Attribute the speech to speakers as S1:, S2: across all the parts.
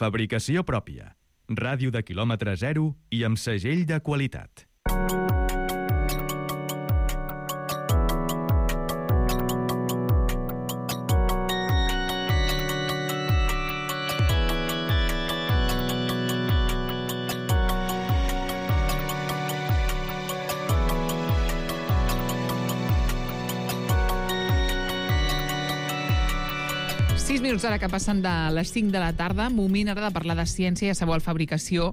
S1: Fabricació pròpia. Ràdio de quilòmetre zero i amb segell de qualitat.
S2: Minuts ara que passen de les 5 de la tarda, moment ara de parlar de ciència i sabor fabricació,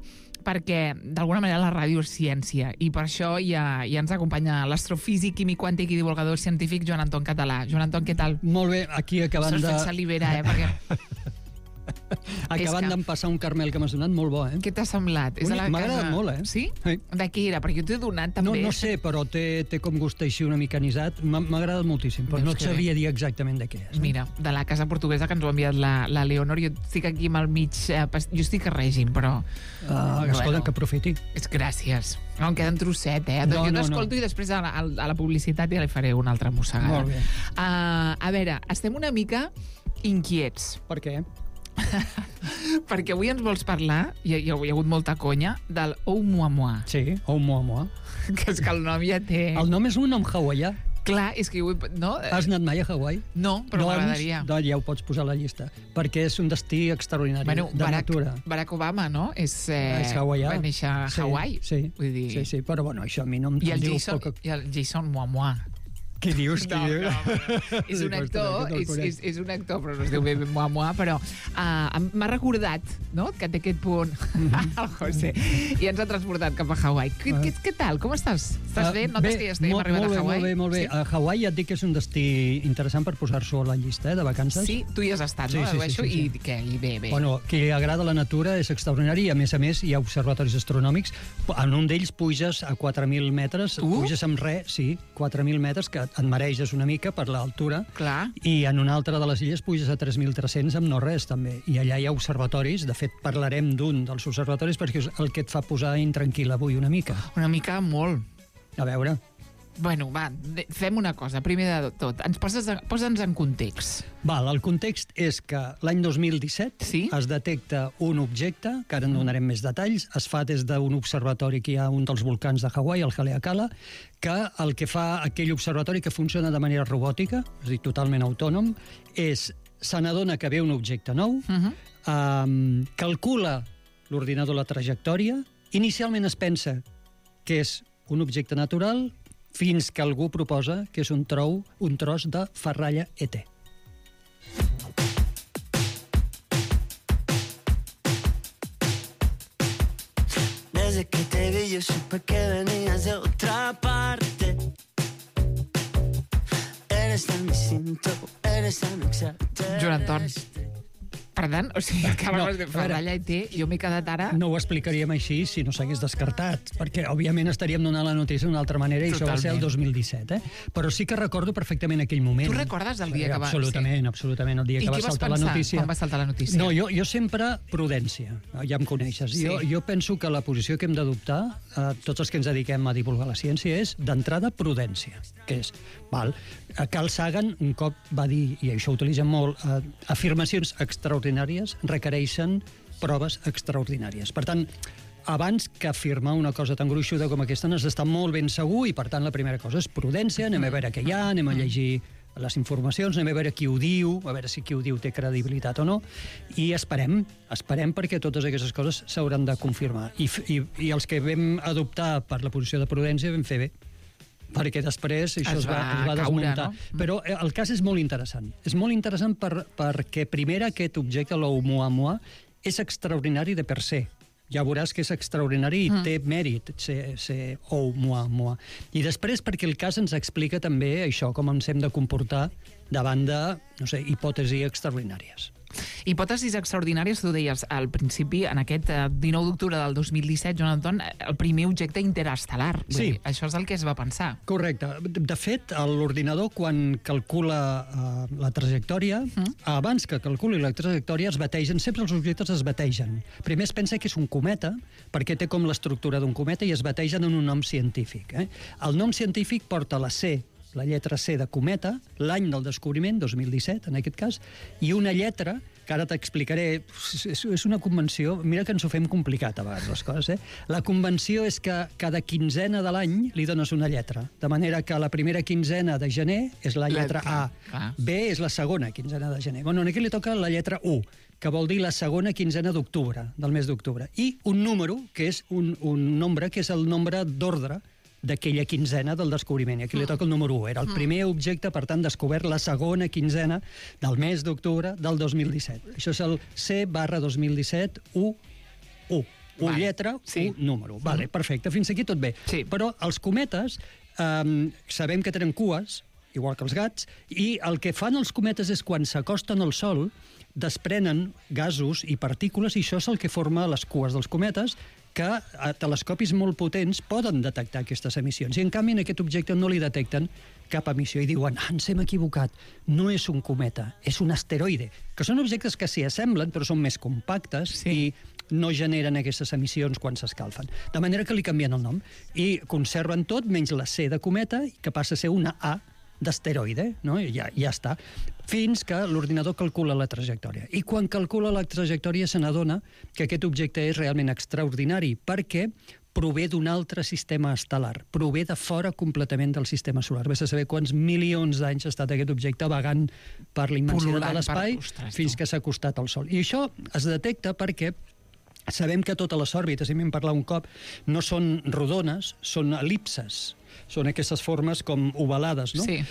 S2: perquè d'alguna manera la ràdio és ciència i per això ja ens acompanya l'astrofísic, químic quàntic i divulgador científic Joan Anton Català. Joan Anton, què tal?
S3: Molt bé, aquí acabant de...
S2: S'ha fet salivera, perquè...
S3: Acabant d'empassar un caramel que m'has donat, molt bo,
S2: Què t'ha semblat?
S3: M'ha agradat molt,
S2: Sí? De què era? Perquè jo t'he donat també...
S3: No sé, però té com gust així una mica anisat. M'ha agradat moltíssim, però no et sabria dir exactament de què és.
S2: Mira, de la casa portuguesa que ens ho ha enviat la Leonor, jo estic aquí amb el mig... Jo estic a règim, però...
S3: Escolta, que aprofiti.
S2: Gràcies. No, em queda un trosset, Jo t'escolto i després a la publicitat ja li faré una altra mossegada.
S3: Molt bé.
S2: A veure, estem una mica inquiets.
S3: Per què?
S2: Perquè avui ens vols parlar, hi ha hagut molta conya, del Oumuamua.
S3: Sí, Oumuamua.
S2: Que és que el nom ja té...
S3: El nom és un nom hawaià.
S2: Clar, és que... No?
S3: Has anat mai a Hawaii?
S2: No, però m'agradaria.
S3: Doncs ja ho pots posar a la llista, perquè és un destí extraordinari de natura.
S2: Barack Obama, no? És
S3: hawaià.
S2: Va néixer a Hawaii.
S3: Sí, però bueno, això a mi no em diu...
S2: I el Jason Momoa.
S3: Què dius?
S2: És un actor, és un actor, però no es diu bé Momoa, però m'ha recordat, no?, que té aquest punt el José, i ens ha transportat cap a Hawaii. Què tal? Com estàs? Estàs bé? Notes que ja estem arribant a Hawaii?
S3: Molt bé. A Hawaii ja et dic que és un destí interessant per posar-s'ho a la llista de vacances.
S2: Sí, tu hi has estat, no?
S3: Sí.
S2: I què? I bé.
S3: Bueno, qui li agrada la natura és extraordinari i a més hi ha observatoris astronòmics. En un d'ells puges a 4.000 metres, puges amb res, 4.000 metres, que et mareges una mica per l'altura.
S2: Clar.
S3: I en una altra de les illes puges a 3.300 amb no res, també. I allà hi ha observatoris, de fet parlarem d'un dels observatoris perquè és el que et fa posar intranquil avui una mica.
S2: Una mica molt.
S3: A veure...
S2: Bueno, va, fem una cosa. Primer de tot, posa'ns en context.
S3: Val, el context és que l'any 2017 es detecta un objecte, que ara en donarem més detalls, es fa des d'un observatori que hi ha un dels volcans de Hawaii, el Haleakala, que el que fa aquell observatori que funciona de manera robòtica, és a dir, totalment autònom, és se n'adona que ve un objecte nou, calcula l'ordinador la trajectòria, inicialment es pensa que és un objecte natural, fins que algú proposa que és un tros de ferralla ET.
S4: Desde que te vi yo supe que venías de otra parte. Eres tan distinto, eres tan exaltante.
S2: Joan Anton, perdó, o sigui, que parles de ferralla ET, jo m'he quedat ara...
S3: No ho explicaríem així si no s'hagués descartat, perquè, òbviament, estaríem donant la notícia d'una altra manera i això va ser el 2017, Però sí que recordo perfectament aquell moment.
S2: Tu recordes el dia que va...
S3: Absolutament, el dia que va saltar la notícia.
S2: Quan va saltar la notícia?
S3: No, jo sempre prudència, ja em coneixes. Jo penso que la posició que hem d'adoptar, tots els que ens dediquem a divulgar la ciència, és, d'entrada, prudència, que és, Carl Sagan un cop va dir, i això ho utilitzen molt, afirmacions extraordinàries requereixen proves extraordinàries. Per tant, abans que afirmar una cosa tan gruixuda com aquesta n'has d'estar molt ben segur i, per tant, la primera cosa és prudència, anem a veure què hi ha, anem a llegir les informacions, anem a veure qui ho diu, a veure si qui ho diu té credibilitat o no, i esperem perquè totes aquestes coses s'hauran de confirmar. I els que vam adoptar per la posició de prudència vam fer bé, perquè després això es va desmuntar. No? Però el cas és molt interessant. És molt interessant perquè, primer, aquest objecte, l'Oumuamua, és extraordinari de per se. Ja veuràs que és extraordinari i té mèrit ser Oumuamua. I després perquè el cas ens explica també això, com ens hem de comportar davant de, no sé, hipòtesis extraordinàries.
S2: Hipòtesis extraordinàries, tu deies al principi, en aquest 19 d'octubre del 2017, Joan Anton, el primer objecte interestel·lar.
S3: Sí.
S2: Això és el que es va pensar.
S3: Correcte. De fet, l'ordinador, quan calcula la trajectòria, abans que calculi la trajectòria, es bategen, sempre els objectes es bategen. Primer es pensa que és un cometa, perquè té com l'estructura d'un cometa, i es bategen en un nom científic. El nom científic porta la C, la lletra C de cometa, l'any del descobriment, 2017, en aquest cas, i una lletra que ara t'explicaré, és una convenció, mira que ens ho fem complicat a vegades les coses, La convenció és que cada quinzena de l'any li dones una lletra, de manera que la primera quinzena de gener és la lletra A, B és la segona quinzena de gener. Bueno, aquí li toca la lletra U, que vol dir la segona quinzena d'octubre, del mes d'octubre, i un número, que és un nombre, que és el nombre d'ordre d'aquella quinzena del descobriment. I aquí li toca el número 1. Era el primer objecte, per tant, descobert la segona quinzena del mes d'octubre del 2017. Això és el C/2017 U1. U lletra, U número. Vale, perfecte, fins aquí tot bé.
S2: Sí.
S3: Però els cometes sabem que tenen cues, igual que els gats, i el que fan els cometes és quan s'acosten al Sol desprenen gasos i partícules, i això és el que forma les cues dels cometes, que a telescopis molt potents poden detectar aquestes emissions. I, en canvi, en aquest objecte no li detecten cap emissió. I diuen, ens hem equivocat, no és un cometa, és un asteroide. Que són objectes que s'hi assemblen, però són més compactes i no generen aquestes emissions quan s'escalfen. De manera que li canvien el nom. I conserven tot, menys la C de cometa, que passa a ser una A d'asteroide, no? I ja està. Fins que l'ordinador calcula la trajectòria. I quan calcula la trajectòria se n'adona que aquest objecte és realment extraordinari, perquè prové d'un altre sistema estel·lar, prové de fora completament del sistema solar. Ves a saber quants milions d'anys ha estat aquest objecte vagant per la immensitat de l'espai fins que s'ha acostat al Sol. I això es detecta perquè sabem que totes les òrbites, i m'hem parlat un cop, no són rodones, són elipses. Són aquestes formes com ovalades, no?
S2: Sí.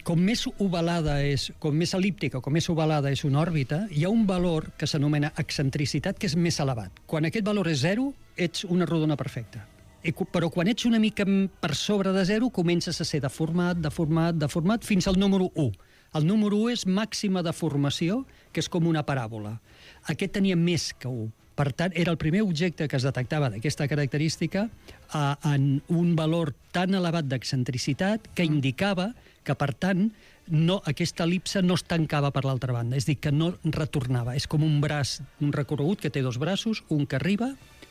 S3: Com més ovalada és, com més elíptica, com més ovalada és una òrbita, hi ha un valor que s'anomena excentricitat, que és més elevat. Quan aquest valor és 0, ets una rodona perfecta. Però quan ets una mica per sobre de 0, comences a ser deformat, fins al número 1. El número 1 és màxima deformació, que és com una paràbola. Aquest tenia més que 1. Per tant, era el primer objecte que es detectava d'aquesta característica en un valor tan elevat d'excentricitat que indicava que, per tant, aquesta elipse no es tancava per l'altra banda, és a dir, que no retornava. És com un braç, un recorregut que té dos braços, un que arriba,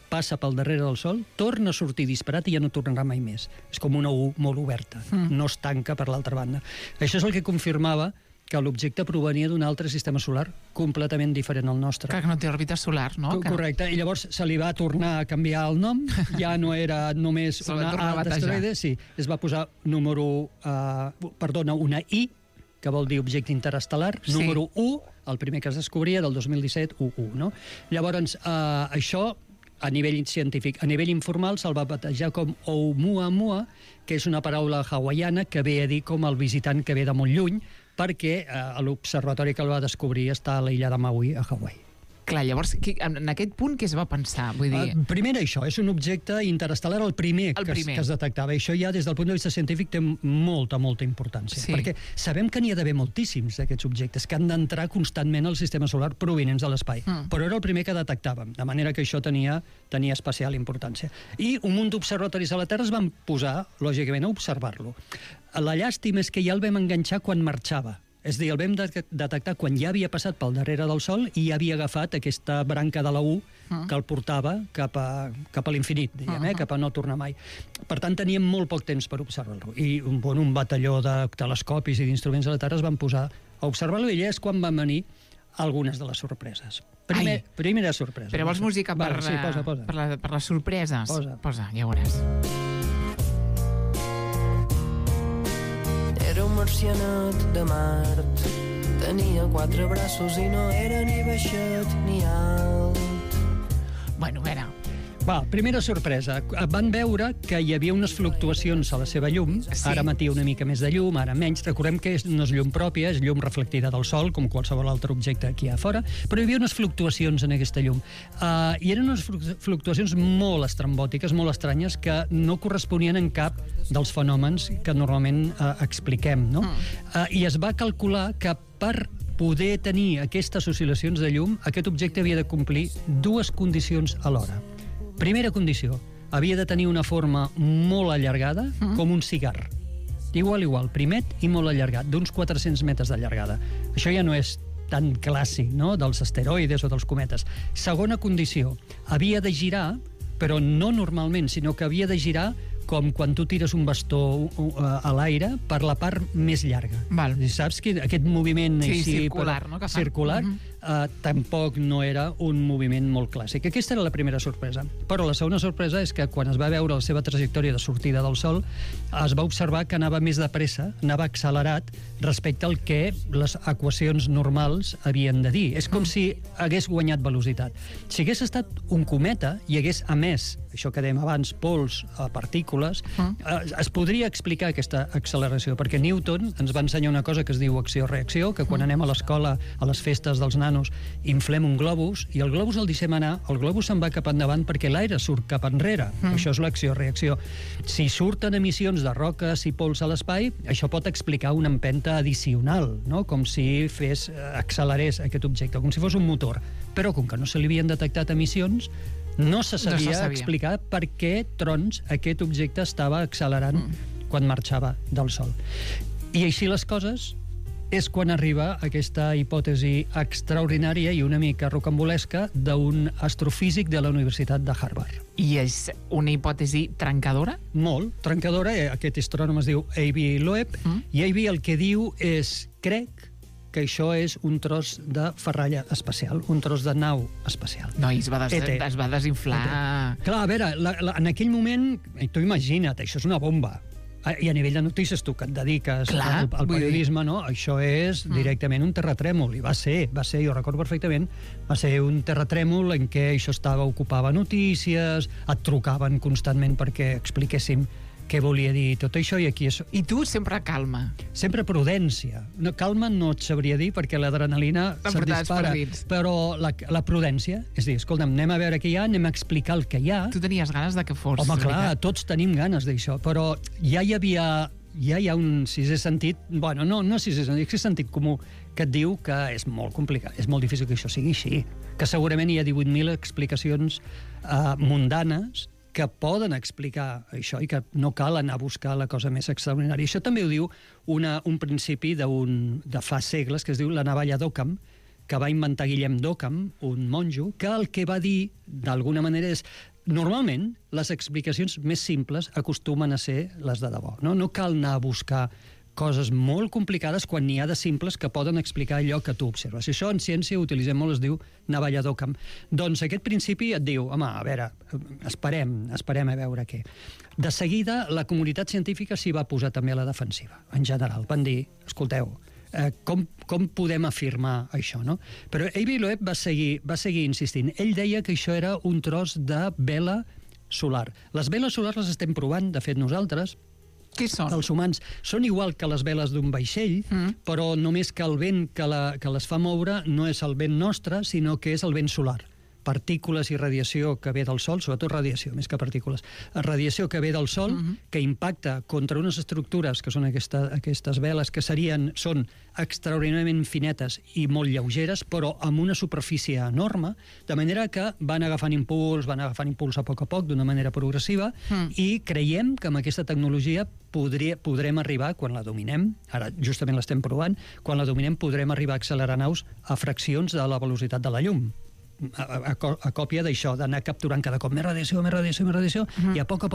S3: passa pel darrere del Sol, torna a sortir disparat i ja no tornarà mai més. És com una U molt oberta, no es tanca per l'altra banda. Això és el que confirmava que l'objecte provenia d'un altre sistema solar completament diferent al nostre.
S2: Que no té òrbita solar, no?
S3: Correcte, i llavors se li va tornar a canviar el nom, ja no era només una A d'asteroide, sí, es va posar una I, que vol dir objecte interestel·lar, número 1, el primer que es descobria del 2017, U1, no? Llavors, això a nivell científic. A nivell informal se'l va batejar com Oumuamua, que és una paraula hawaiana que ve a dir com el visitant que ve de molt lluny, perquè l'observatori que el va descobrir està a l'illa de Maui, a Hawaii.
S2: Clar, llavors, en aquest punt què es va pensar? Vull dir...
S3: Primer això, és un objecte interestel·lar, el primer que es detectava. Això ja, des del punt de vista científic, té molta importància. Sí. Perquè sabem que n'hi ha d'haver moltíssims d'aquests objectes, que han d'entrar constantment al sistema solar provinents de l'espai. Però era el primer que detectàvem, de manera que això tenia especial importància. I un munt d'observatoris a la Terra es van posar, lògicament, a observar-lo. La llàstima és que ja el vam enganxar quan marxava. És a dir, el vam detectar quan ja havia passat pel darrere del Sol i ja havia agafat aquesta branca de la U que el portava cap a l'infinit, diguem, cap a no tornar mai. Per tant, teníem molt poc temps per observar-lo. I un batalló de telescopis i d'instruments de la Terra es van posar a observar-lo, i allà és quan van venir algunes de les sorpreses. Primera sorpresa.
S2: Però vols música per les sorpreses? Posa, ja veuràs.
S4: Era un marcianot de Mart, tenia 4 braços i no era ni baixet ni alt.
S2: Bueno, a veure...
S3: Primera sorpresa. Van veure que hi havia unes fluctuacions a la seva llum. Ara emetia una mica més de llum, ara menys. Recordem que no és llum pròpia, és llum reflectida del Sol, com qualsevol altre objecte aquí a fora, però hi havia unes fluctuacions en aquesta llum. I eren unes fluctuacions molt estrambòtiques, molt estranyes, que no corresponien en cap dels fenòmens que normalment expliquem, no? I es va calcular que per poder tenir aquestes oscil·lacions de llum, aquest objecte havia de complir 2 condicions alhora. Primera condició, havia de tenir una forma molt allargada, com un cigar. Igual, primet i molt allargat, d'uns 400 metres de llargada. Això ja no és tan clàssic, no?, dels asteroides o dels cometes. Segona condició, havia de girar, però no normalment, sinó que havia de girar com quan tu tires un bastó a l'aire per la part més llarga.
S2: Val.
S3: Saps que aquest moviment
S2: circular, no?,
S3: circular tampoc no era un moviment molt clàssic. Aquesta era la primera sorpresa. Però la segona sorpresa és que quan es va veure la seva trajectòria de sortida del Sol, es va observar que anava més de pressa, anava accelerat respecte al que les equacions normals havien de dir. És com si hagués guanyat velocitat. Si hagués estat un cometa i hagués emès, això que dèiem abans, pols, partícules, es podria explicar aquesta acceleració, perquè Newton ens va ensenyar una cosa que es diu acció-reacció, que quan anem a l'escola, a les festes dels nanos, inflem un globus, i el globus el deixem anar, el globus se'n va cap endavant perquè l'aire surt cap enrere. Això és l'acció-reacció. Si surten emissions de roques i pols a l'espai, això pot explicar una empenta addicional, no? Com si accelerés aquest objecte, com si fos un motor. Però com que no se li havien detectat emissions, no se sabia explicar per què trons aquest objecte estava accelerant quan marxava del Sol. I així les coses és quan arriba aquesta hipòtesi extraordinària i una mica rocambolesca d'un astrofísic de la Universitat de Harvard.
S2: I és una hipòtesi trencadora?
S3: Molt trencadora. Aquest astrònom es diu Avi Loeb, i Avi el que diu és, crec que això és un tros de ferralla espacial, un tros de nau espacial.
S2: No, i es va desinflar.
S3: Clar, a veure, en aquell moment, tu imagina't, això és una bomba. I a nivell de notícies, tu que et dediques al periodisme, no? Això és directament un terratrèmol, i va ser, jo recordo perfectament, va ser un terratrèmol en què això ocupava notícies, et trucaven constantment perquè expliquéssim què volia dir tot això, i aquí és...
S2: I tu sempre calma.
S3: Sempre prudència. No, calma no et sabria dir, perquè l'adrenalina se't dispara. Però la prudència, és dir, escolta'm, anem a veure què hi ha, anem a explicar el que hi ha.
S2: Tu tenies ganes de que fos.
S3: Home, clar, tots tenim ganes d'això, però ja hi ha un sisè sentit, bueno, no sisè sentit comú, que et diu que és molt complicat, és molt difícil que això sigui així, que segurament hi ha 18.000 explicacions mundanes que poden explicar això i que no cal anar a buscar la cosa més extraordinària. Això també ho diu un principi de fa segles que es diu la navalla d'Occam, que va inventar Guillem d'Occam, un monjo, que el que va dir, d'alguna manera, és normalment les explicacions més simples acostumen a ser les de debò. No cal anar a buscar coses molt complicades quan n'hi ha de simples que poden explicar allò que tu observes. I això en ciència ho utilitzem molt, es diu navalla d'Occam. Doncs aquest principi et diu, home, a veure, esperem a veure què. De seguida, la comunitat científica s'hi va posar també a la defensiva, en general. Van dir, escolteu, com podem afirmar això, no? Però Avi Loeb va seguir insistint. Ell deia que això era un tros de vela solar. Les veles solars les estem provant, de fet nosaltres,
S2: què són?
S3: Els humans són igual que les veles d'un vaixell, però només que el vent que les fa moure no és el vent nostre, sinó que és el vent solar. Partícules i radiació que ve del Sol, sobretot radiació, més que partícules. Radiació que ve del Sol, que impacta contra unes estructures que són aquestes veles, que són extraordinàriament finetes i molt lleugeres, però amb una superfície enorme, de manera que van agafant impuls a poc, d'una manera progressiva, i creiem que amb aquesta tecnologia podrem arribar, quan la dominem, ara justament l'estem provant, quan la dominem podrem arribar a accelerar naus a fraccions de la velocitat de la llum. A còpia d'això, d'anar capturant cada cop més radiació, i a poc,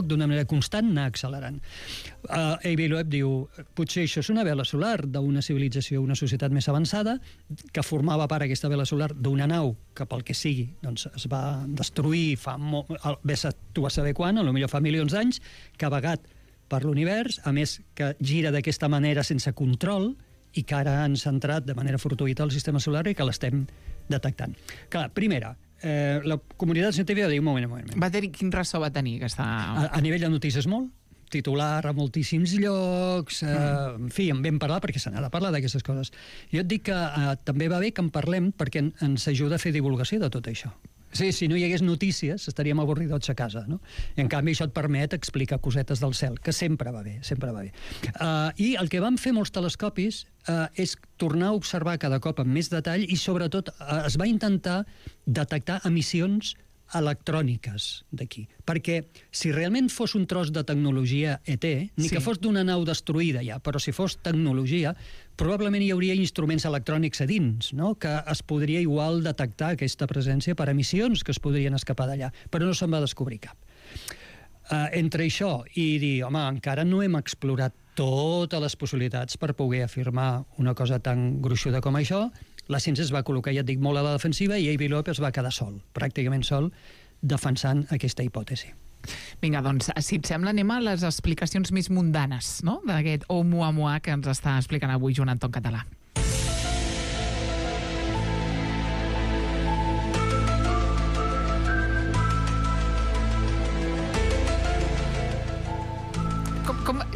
S3: d'una manera constant, anar accelerant. Avi Loeb diu, potser això és una vela solar d'una civilització, una societat més avançada, que formava part aquesta vela solar d'una nau que, pel que sigui, doncs es va destruir tu vas saber quan, potser fa milions d'anys, que ha vagat per l'univers, a més que gira d'aquesta manera sense control, i que ara han centrat de manera fortuïta el sistema solar i que l'estem detectant. Clar, primera, la comunitat científica diu, un moment.
S2: Quin ressò va tenir aquesta...
S3: A nivell de notícies molt, titular a moltíssims llocs, en fi, en vam parlar perquè se n'ha de parlar d'aquestes coses. Jo et dic que també va bé que en parlem perquè ens ajuda a fer divulgació de tot això. Sí, si no hi hagués notícies, estaríem avorridots a casa, no? I en canvi això et permet explicar cosetes del cel, que sempre va bé. I el que van fer molts telescopis és tornar a observar cada cop amb més detall i sobretot es va intentar detectar emissions electròniques d'aquí. Perquè si realment fos un tros de tecnologia ET, ni que fos d'una nau destruïda ja, però si fos tecnologia, probablement hi hauria instruments electrònics a dins, no? Que es podria igual detectar aquesta presència per emissions que es podrien escapar d'allà, però no se'n va descobrir cap. Entre això i dir, home, encara no hem explorat totes les possibilitats per poder afirmar una cosa tan gruixuda com això, la ciència es va col·locar, ja et dic, molt a la defensiva i Avi Loeb es va quedar sol, pràcticament sol, defensant aquesta hipòtesi.
S2: Vinga, doncs, si et sembla, anem a les explicacions més mundanes, no?, d'aquest Oumuamua que ens està explicant avui Joan Anton Català.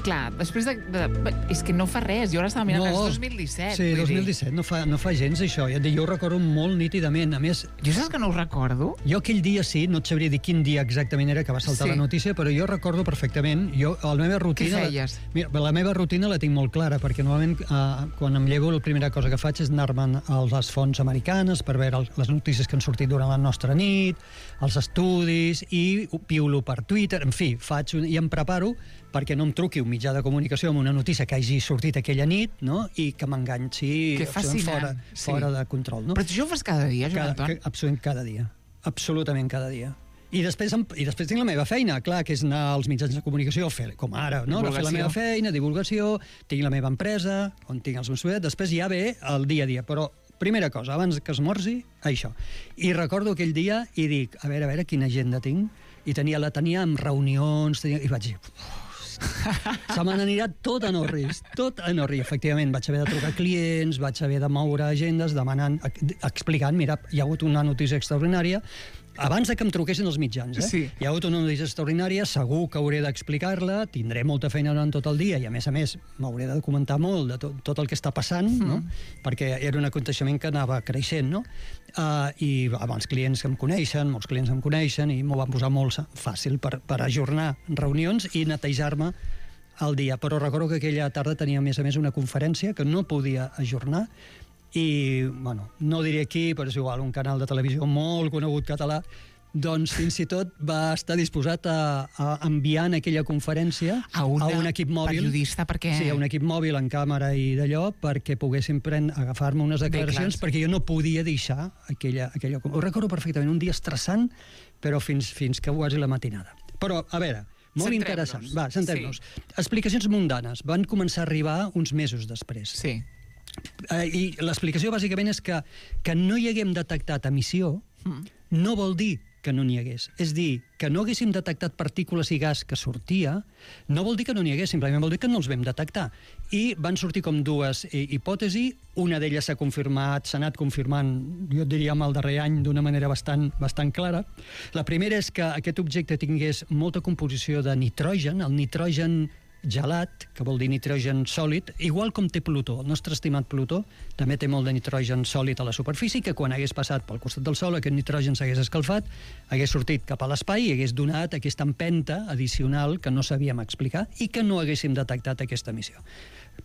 S2: Clar, després de... És que no fa res, jo ara estava mirant, és 2017.
S3: Sí, 2017, no fa gens això. Jo ho recordo molt nítidament. A més...
S2: Jo saps que no ho recordo?
S3: Jo aquell dia sí, no et sabria dir quin dia exactament era que va saltar la notícia, però jo recordo perfectament. La meva rutina...
S2: Què feies?
S3: La meva rutina la tinc molt clara, perquè normalment quan em llevo la primera cosa que faig és anar-me'n a les fonts americanes per veure les notícies que han sortit durant la nostra nit, els estudis, i piulo per Twitter, en fi, i em preparo perquè no em truqui un mitjà de comunicació amb una notícia que hagi sortit aquella nit, no?, i que m'enganxi fora de control. No?
S2: Però tu això ho fas cada dia, Joan Anton?
S3: Absolutament cada dia. Absolutament cada dia. I després tinc la meva feina, clar, que és anar als mitjans de comunicació, com ara, no? Fer la meva feina, divulgació, tinc la meva empresa, on tinc els meus students, després ja ve el dia a dia, però primera cosa, abans que esmorzi, això. I recordo aquell dia i dic, a veure quina agenda tinc, i la tenia amb reunions, i vaig dir... Se me n'anirà tot en orris, efectivament. Vaig haver de trucar clients, vaig haver de moure agendes, demanant, explicant, mira, hi ha hagut una notícia extraordinària, abans de que em truquessin els mitjans,
S2: Sí.
S3: Hi ha hagut una notícia extraordinària, segur que hauré d'explicar-la, tindré molta feina durant tot el dia i, a més, m'hauré de documentar molt de tot el que està passant, no? Perquè era un aconteixement que anava creixent, no? I els clients em coneixen, molts clients em coneixen, i m'ho van posar molt fàcil per ajornar reunions i netejar-me el dia. Però recordo que aquella tarda tenia, a més, una conferència que no podia ajornar, i, bueno, no diré aquí, però és igual, un canal de televisió molt conegut català, doncs fins i tot va estar disposat a enviar en aquella conferència a un equip mòbil.
S2: Periodista, perquè...
S3: Sí, a un equip mòbil en càmera i d'allò, perquè poguessin agafar-me unes declaracions, perquè jo no podia deixar aquella... Ho recordo perfectament, un dia estressant, però fins que quasi la matinada. Però, a veure, molt interessant. Va, centrem-nos. Explicacions mundanes van començar a arribar uns mesos després.
S2: Sí.
S3: I l'explicació bàsicament és que no hi haguem detectat emissió no vol dir que no n'hi hagués. És dir, que no haguéssim detectat partícules i gas que sortia, no vol dir que no n'hi hagués, simplement vol dir que no els vam detectar. I van sortir com dues hipòtesis, una d'elles s'ha confirmat, s'ha anat confirmant, jo diria, amb el darrer any d'una manera bastant clara. La primera és que aquest objecte tingués molta composició de nitrogen, el nitrogen gelat, que vol dir nitrogen sòlid, igual com té Plutó. El nostre estimat Plutó també té molt de nitrogen sòlid a la superfície, que quan hagués passat pel costat del Sol aquest nitrogen s'hagués escalfat, hagués sortit cap a l'espai i hagués donat aquesta empenta addicional que no sabíem explicar i que no haguéssim detectat aquesta emissió.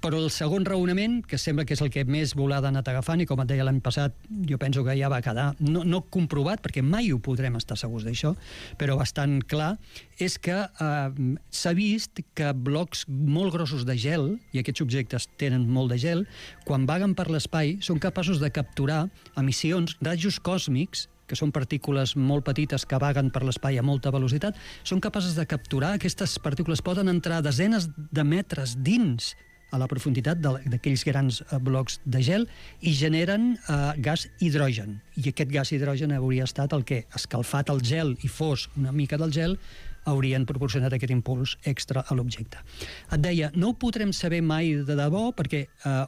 S3: Però el segon raonament, que sembla que és el que més volada ha anat agafant, i com et deia l'any passat, jo penso que ja va quedar, no comprovat, perquè mai ho podrem estar segurs d'això, però bastant clar, és que s'ha vist que blocs molt grossos de gel, i aquests objectes tenen molt de gel, quan vaguen per l'espai són capaços de capturar emissions, rajos còsmics, que són partícules molt petites que vaguen per l'espai a molta velocitat, són capaces de capturar, aquestes partícules poden entrar desenes de metres dins a la profunditat d'aquells grans blocs de gel i generen gas hidrogen. I aquest gas hidrogen hauria estat el que, escalfat el gel i fos una mica del gel, haurien proporcionat aquest impuls extra a l'objecte. Et deia, no ho podrem saber mai de debò perquè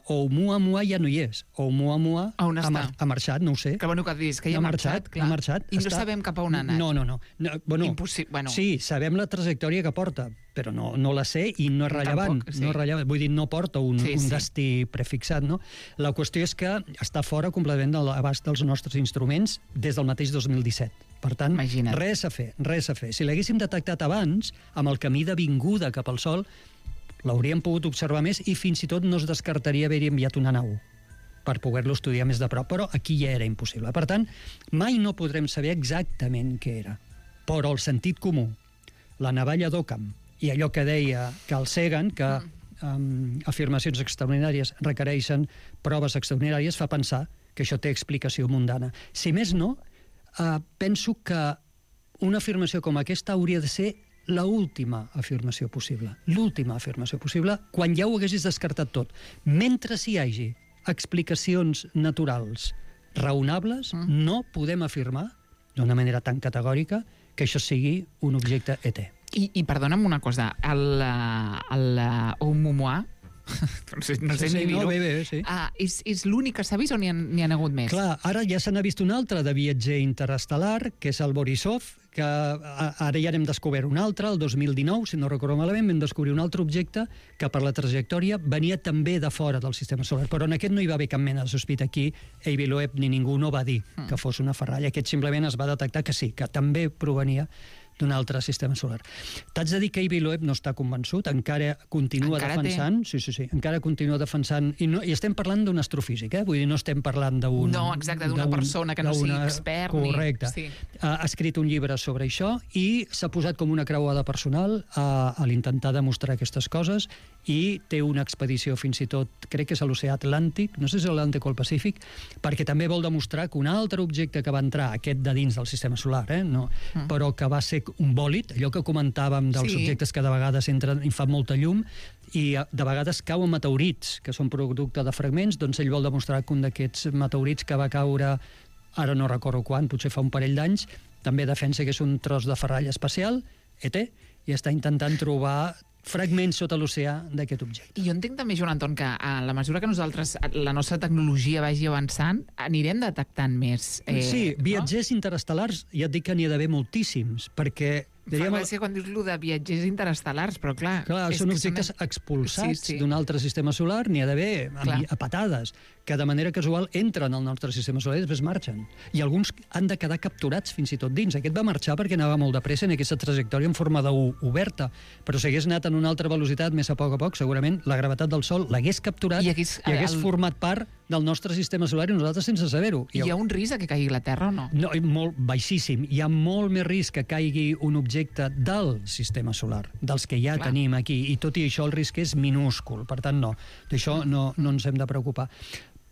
S3: Oumuamua ja no hi és. Oumuamua ha marxat, no ho sé.
S2: Que bueno que dius, que ja ha marxat, clar. I no sabem cap a on ha anat.
S3: No.
S2: Impossible.
S3: Sí, sabem la trajectòria que porta, però no la sé i no és rellevant. No és rellevant. Vull dir, no porta un destí prefixat, no? La qüestió és que està fora completament de l'abast dels nostres instruments des del mateix 2017. Per tant, res a fer. Si l'haguéssim detectat abans, amb el camí de vinguda cap al Sol, l'hauríem pogut observar més i fins i tot no es descartaria haver-hi enviat una nau per poder-lo estudiar més de prop, però aquí ja era impossible. Per tant, mai no podrem saber exactament què era. Però el sentit comú, la navalla d'Occam i allò que deia Carl Sagan, que afirmacions extraordinàries requereixen proves extraordinàries, fa pensar que això té explicació mundana. Si més no, penso que una afirmació com aquesta hauria de ser l'última afirmació possible. L'última afirmació possible quan ja ho haguessis descartat tot. Mentre s'hi hagi explicacions naturals raonables, no podem afirmar d'una manera tan categòrica que això sigui un objecte ET.
S2: I perdona'm una cosa, el Oumuamua, no sé ni dir-ho,
S3: sí.
S2: És l'únic que s'ha vist o n'hi han hagut més?
S3: Clar, ara ja se n'ha vist un altre de viatger interestel·lar, que és el Borisov, que ara ja n'hem descobert un altre, el 2019, si no recordo malament, vam descobrir un altre objecte que per la trajectòria venia també de fora del sistema solar, però en aquest no hi va haver cap mena de sospita. Aquí Avi Loeb ni ningú no va dir que fos una ferralla. Aquest simplement es va detectar que sí, que també provenia d'un altre sistema solar. T'haig de dir que Avi Loeb no està convençut, encara continua defensant... Sí, encara continua defensant... I estem parlant d'un astrofísic, vull dir, no estem parlant d'un...
S2: No, exacte, d'una persona que no sigui expert.
S3: Correcte. Ha escrit un llibre sobre això i s'ha posat com una creuada personal a l'intentar demostrar aquestes coses i té una expedició fins i tot, crec que és a l'oceà Atlàntic, no sé si és l'Atlàntic o el Pacífic, perquè també vol demostrar que un altre objecte que va entrar, aquest de dins del sistema solar, però que va ser un bòlit, allò que comentàvem dels objectes que de vegades entren i fan molta llum, i de vegades cauen meteorits, que són producte de fragments, doncs ell vol demostrar que un d'aquests meteorits que va caure, ara no recordo quan, potser fa un parell d'anys, també defensa que és un tros de ferralla espacial, ET, i està intentant trobar fragments sota l'oceà d'aquest objecte.
S2: I jo entenc també, Joan Anton, que a la mesura que nosaltres, la nostra tecnologia vagi avançant, anirem detectant més...
S3: Sí, viatgers interestel·lars, ja et dic que n'hi ha d'haver moltíssims, perquè...
S2: Fa gràcia quan dius lo de viatgers interestel·lars, però clar...
S3: Clar, són objectes expulsats d'un altre sistema solar, n'hi ha d'haver a patades, que de manera casual entren al nostre sistema solar i després marxen. I alguns han de quedar capturats fins i tot dins. Aquest va marxar perquè anava molt de pressa en aquesta trajectòria en forma d'U oberta, però si hagués anat en una altra velocitat més a poc, segurament la gravetat del Sol l'hagués capturat i hagués format part del nostre sistema solar i nosaltres sense saber-ho.
S2: Hi ha un risc que caigui la Terra o no?
S3: No, molt baixíssim. Hi ha molt més risc que caigui un objecte del sistema solar, dels que ja tenim aquí, i tot i això el risc és minúscul, per tant no, d'això no ens hem de preocupar.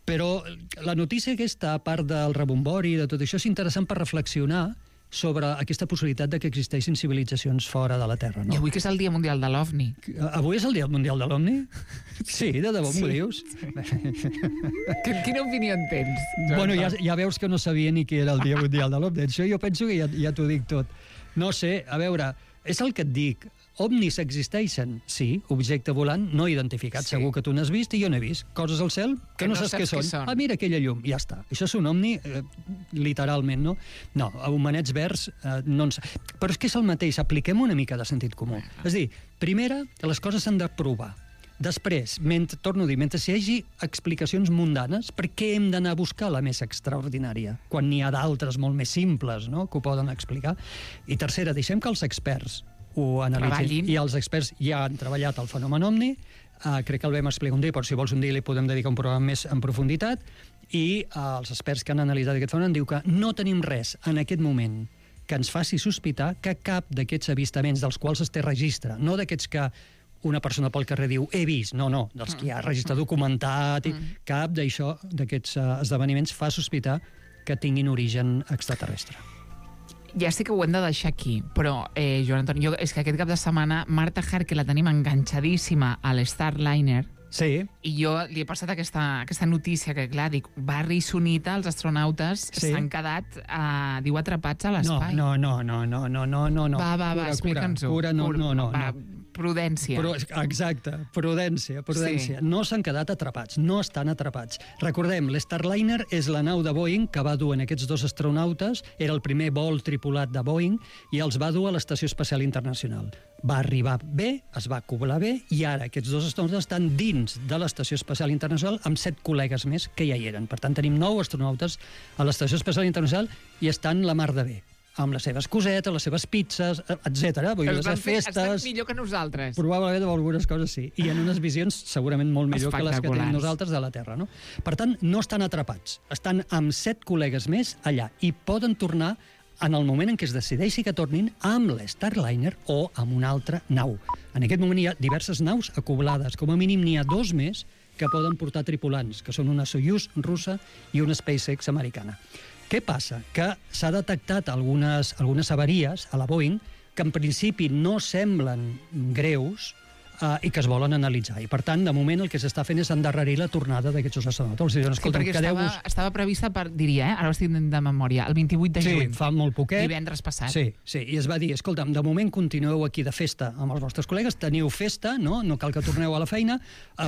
S3: Però la notícia aquesta, a part del rebombori i de tot això, és interessant per reflexionar sobre aquesta possibilitat de que existeixin civilitzacions fora de la Terra. No?
S2: I avui que és el Dia Mundial de l'OVNI.
S3: Avui és el Dia Mundial de l'OVNI? Sí, de debò m'ho dius?
S2: Quina opinió en tens?
S3: Bueno, ja veus que no sabia ni què era el Dia Mundial de l'OVNI. Això jo penso que ja t'ho dic tot. No sé, a veure, és el que et dic. OVNIs existeixen? Sí, objecte volant no identificat. Sí. Segur que tu n'has vist i jo n'he vist. Coses al cel que no saps què són. Ah, mira aquella llum, ja està. Això és un OVNI, literalment, no? No, homenets verds, no ens... Però és que és el mateix, apliquem una mica de sentit comú. És a dir, primera, les coses s'han de provar. Després, torno a dir, mentre hi hagi explicacions mundanes, per què hem d'anar a buscar la més extraordinària, quan n'hi ha d'altres molt més simples, no?, que ho poden explicar? I tercera, deixem que els experts ho analitzin. I els experts ja han treballat el fenomen OVNI, crec que el vam explicar un dia, però si vols un dia li podem dedicar un programa més en profunditat, i els experts que han analitzat aquest fenomen diu que no tenim res en aquest moment que ens faci sospitar que cap d'aquests avistaments dels quals es té registre, no d'aquests que una persona pel carrer diu, he vist, no, dels que hi ha registre documentat, cap d'aquests esdeveniments fa sospitar que tinguin origen extraterrestre.
S2: Ja sé que ho hem de deixar aquí, però, Joan Anton, és que aquest cap de setmana Marta Harke la tenim enganxadíssima a l'Starliner.
S3: Sí.
S2: I jo li he passat aquesta notícia que, clar, dic, Barry i Sunita, els astronautes, s'han quedat, diu, atrapats a l'espai.
S3: No.
S2: Va, explica'ns-ho.
S3: No.
S2: Prudència.
S3: Exacte, prudència. Sí. No s'han quedat atrapats, no estan atrapats. Recordem, l'Starliner és la nau de Boeing que va dur en aquests dos astronautes, era el primer vol tripulat de Boeing, i els va dur a l'Estació Espacial Internacional. Va arribar bé, es va acoblar bé, i ara aquests dos astronautes estan dins de l'Estació Espacial Internacional amb 7 col·legues més que ja hi eren. Per tant, tenim 9 astronautes a l'Estació Espacial Internacional i estan la mar de bé, amb les seves cosetes, les seves pizzas, etc. Vull dir, les festes...
S2: Estan millor que nosaltres.
S3: Probablement amb algunes coses sí. I en unes visions segurament molt millor que les que tenim nosaltres de la Terra. No? Per tant, no estan atrapats. Estan amb 7 col·legues més allà i poden tornar en el moment en què es decideixi que tornin amb l'Starliner o amb una altra nau. En aquest moment hi ha diverses naus acoblades. Com a mínim n'hi ha 2 més que poden portar tripulants, que són una Soyuz russa i una SpaceX americana. Què passa? Que s'ha detectat algunes avaries a la Boeing que en principi no semblen greus, i que es volen analitzar. I, per tant, de moment el que s'està fent és endarrerir la tornada d'aquests astronautes.
S2: Perquè estava prevista per, diria, ara ho estic de memòria, el 28 de juny.
S3: Sí, fa molt poquet.
S2: Divendres passat.
S3: Sí, i es va dir, escolta'm, de moment continueu aquí de festa amb els vostres col·legues, teniu festa, no cal que torneu a la feina,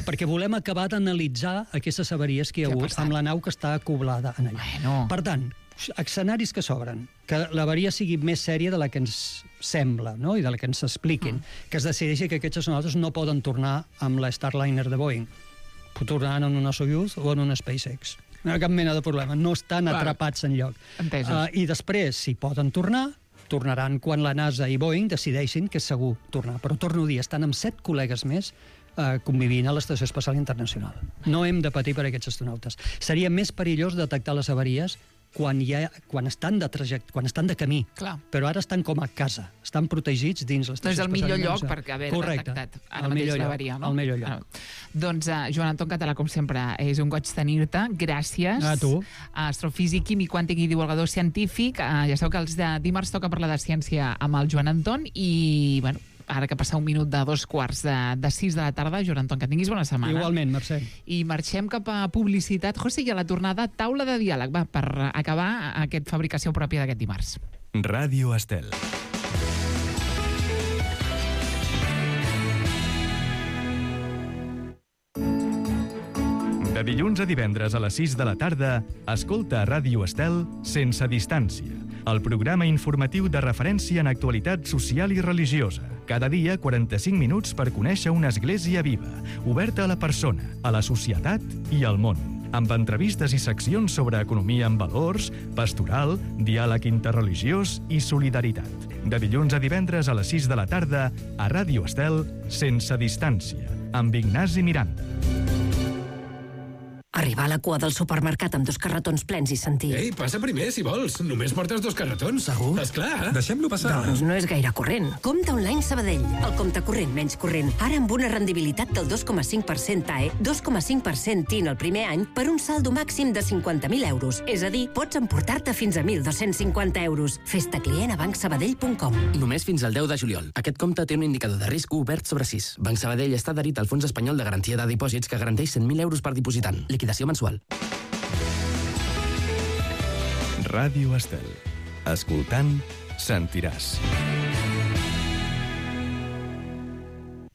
S3: perquè volem acabar d'analitzar aquestes avaries que hi ha hagut amb la nau que està acoblada en allà.
S2: Bueno.
S3: Per tant, escenaris que s'obren, que l'avaria sigui més sèria de la que ens sembla, no? I de la que ens expliquin, que es decideixi que aquests astronautes no poden tornar amb la Starliner de Boeing. Tornaran en una Soyuz o en una SpaceX. No hi ha cap mena de problema, no estan atrapats enlloc. I després, si poden tornar, tornaran quan la NASA i Boeing decideixin que és segur tornar. Però torno a dir, estan amb 7 col·legues més convivint a l'Estació Espacial Internacional. No hem de patir per aquests astronautes. Seria més perillós detectar les avaries quan estan de camí.
S2: Clar.
S3: Però ara estan com a casa, estan protegits dins l'Estació Espacial.
S2: No és el millor lloc perquè haver detectat ara mateix l'avaria, no?
S3: El millor lloc.
S2: Doncs, Joan Anton Català, com sempre, és un goig tenir-te. Gràcies.
S3: A tu.
S2: Astrofísic, químic, quàntic i divulgador científic. Ja sabeu que els de dimarts toca parlar de ciència amb el Joan Anton i, bueno, ara que passa un minut de 5:45 de la tarda, Joan Anton, que tinguis bona setmana.
S3: Igualment, Mercè.
S2: I marxem cap a publicitat. José, i a la tornada, taula de diàleg, va, per acabar aquest fabricació pròpia d'aquest dimarts.
S1: Ràdio Estel. De dilluns a divendres a les 6 de la tarda, escolta a Ràdio Estel Sense Distància, el programa informatiu de referència en actualitat social i religiosa. Cada dia, 45 minuts per conèixer una església viva, oberta a la persona, a la societat i al món. Amb entrevistes i seccions sobre economia amb valors, pastoral, diàleg interreligiós i solidaritat. De dilluns a divendres a les 6 de la tarda, a Ràdio Estel Sense Distància, amb Ignasi Miranda.
S5: Arribar a la cua del supermercat amb 2 carretons plens i sentir...
S6: Ei, passa primer, si vols. Només portes 2 carretons.
S5: Segur?
S6: Esclar. Deixem-lo passar.
S5: Doncs no és gaire corrent. Compte online Sabadell. El compte corrent menys corrent. Ara amb una rendibilitat del 2,5% TAE, 2,5% TIN el primer any per un saldo màxim de 50.000 euros. És a dir, pots emportar-te fins a 1.250 euros. Fes-te client a bancsabadell.com.
S7: Només fins al 10 de juliol. Aquest compte té un indicador de risc obert sobre 6. Banc Sabadell està adherit al Fons Espanyol de Garantia de Dipòsits que garanteix 100.000 euros per dipositant. Liquidació mensual.
S1: Ràdio Estel. Escoltant, sentiràs.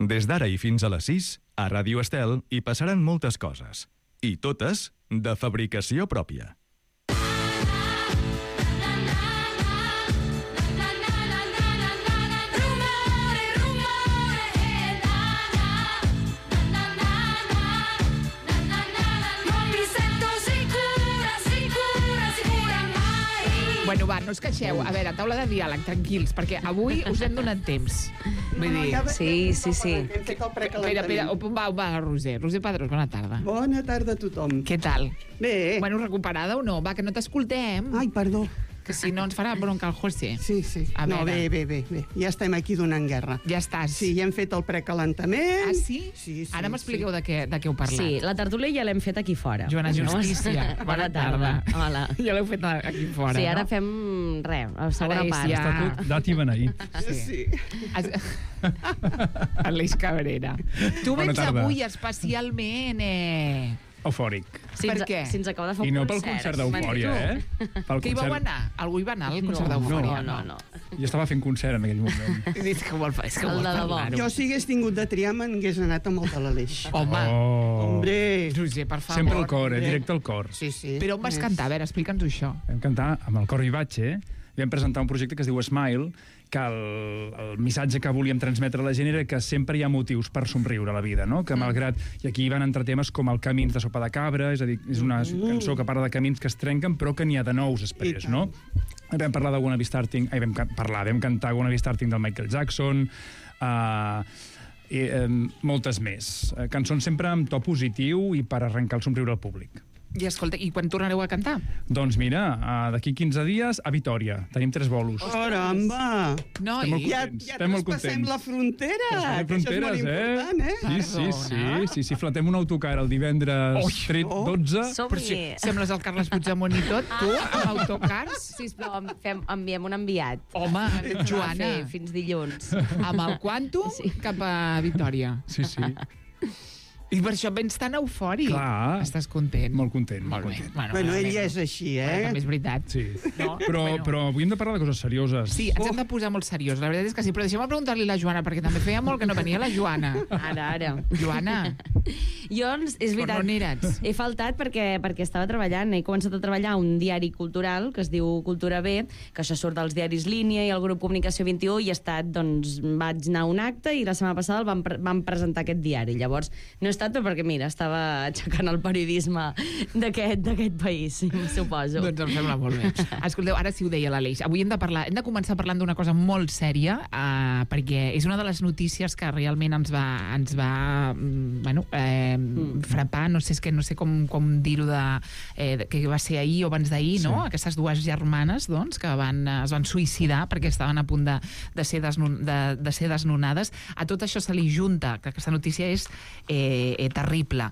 S1: Des d'ara i fins a les 6, a Ràdio Estel hi passaran moltes coses. I totes de fabricació pròpia.
S2: Bueno, va, no us queixeu. A veure, taula de diàleg, tranquils, perquè avui us hem donat temps. Vull dir...
S8: Sí.
S2: Hem fet el precalentament. Espera, on va, Roser? Roser Padrós, bona tarda.
S8: Bona tarda a tothom.
S2: Què tal?
S8: Bé.
S2: Bueno, recuperada o no? Va, que no t'escoltem.
S8: Ai, perdó.
S2: Que si no ens farà bronca el José.
S8: Sí. No, bé. Ja estem aquí donant guerra.
S2: Ja estàs.
S8: Sí, ja hem fet el precalentament.
S2: Ah, sí? Sí. Ara m'expliqueu de què heu parlat.
S9: Sí, la tertúlia ja l'hem fet aquí fora.
S2: Joana Justícia, bona tarda.
S9: Hola.
S2: Ja l'heu fet aquí fora,
S9: sí, ara
S2: no?
S9: fem la segona part.
S2: Ja...
S10: Estatut d'Ati Beneí.
S8: Sí.
S2: Aleix Cabrera. Tu vens avui especialment...
S10: Eufòric.
S2: Per què?
S9: Si ens acaba de fer
S10: I no pel concert d'Eufòria,
S2: Que hi vau anar? Algú hi va anar al concert d'Eufòria?
S9: No.
S10: Jo estava fent concert en aquell moment.
S2: És que vol parlar-ho.
S8: Jo, si hagués tingut de triar, m'hagués anat amb el de l'Aleix.
S2: Home.
S8: Hombre.
S2: Roser, per favor.
S10: Sempre al cor, directe al cor.
S8: Sí.
S2: Però on vas cantar? A veure, explica'ns això.
S10: Vam cantar amb el Cor Vivace, vam presentar un projecte que es diu Smile, que el missatge que volíem transmetre a la gent era que sempre hi ha motius per somriure a la vida, no? Que malgrat... I aquí hi van entrar temes com el Camins de Sopa de Cabra, és a dir, és una cançó que parla de camins que es trenquen, però que n'hi ha de nous després, no? Vam parlar de Wanna Be Starting... Vam cantar Wanna Be Starting del Michael Jackson, moltes més. Cançons sempre amb to positiu i per arrencar el somriure al públic.
S2: I escolta, i quan tornareu a cantar?
S10: Doncs mira, d'aquí 15 dies a Vitòria. Tenim 3 bolos.
S8: Caramba!
S2: Noi,
S8: ja traspassem la frontera, que això és molt important,
S10: Sí, flatem un autocar el divendres 12.
S2: Sembles el Carles Puigdemont i tot, tu, amb autocars?
S9: Sisplau, enviem un enviat.
S2: Home, Joana.
S9: Fins dilluns.
S2: Amb el Quantum cap a Vitòria.
S10: Sí.
S2: I per això vens tan eufòric.
S10: Clar.
S2: Estàs content.
S10: Molt content.
S8: Bueno, ell ja és així,
S2: També és veritat.
S10: Sí. Però avui hem de parlar de coses serioses.
S2: Sí, ens hem de posar molt seriós. La veritat és que sí, però deixem-me preguntar-li a la Joana, perquè també feia molt que no venia la Joana.
S9: Ara.
S2: Joana.
S9: Jo, és veritat,
S2: on eres?
S9: he faltat perquè estava treballant. He començat a treballar a un diari cultural que es diu Cultura B, que això surt dels diaris Línia i el grup Comunicació 21, i vaig anar a un acte i la setmana passada vam presentar aquest diari. Llavors, no he estat perquè, mira, estava aixecant el periodisme d'aquest país, suposo.
S2: Doncs em sembla molt bé. Escolteu, ara sí ho deia l'Aleix. Avui hem de començar parlant d'una cosa molt sèria, perquè és una de les notícies que realment ens va frapar, no sé com dir-ho, que va ser ahir o abans d'ahir, no? Aquestes dues germanes, doncs, que es van suïcidar perquè estaven a punt de ser desnonades. A tot això se li junta, que aquesta notícia és terrible.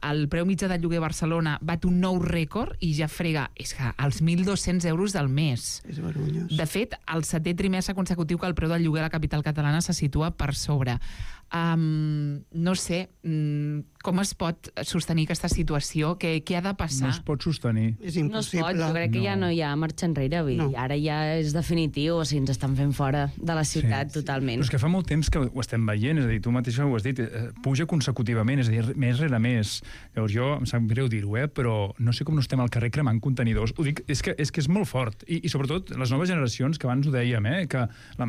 S2: El preu mitjà del lloguer a Barcelona bat un nou rècord i ja frega els 1.200 euros del mes.
S8: És vergonyós.
S2: De fet, el 7è trimestre consecutiu que el preu del lloguer a la capital catalana se situa per sobre. No sé, com es pot sostenir aquesta situació? Què ha de passar?
S10: No es pot sostenir.
S8: És impossible.
S9: No es pot, jo crec que ja no hi ha marxa enrere. Ara ja és definitiu, o sigui, ens estan fent fora de la ciutat totalment.
S10: Però és que fa molt temps que ho estem veient, és a dir, tu mateixa ho has dit, puja consecutivament, és a dir, més rere més. Llavors jo, em sap greu dir-ho, però no sé com no estem al carrer cremant contenidors. Ho dic, és que és molt fort. I sobretot les noves generacions, que abans ho dèiem, que la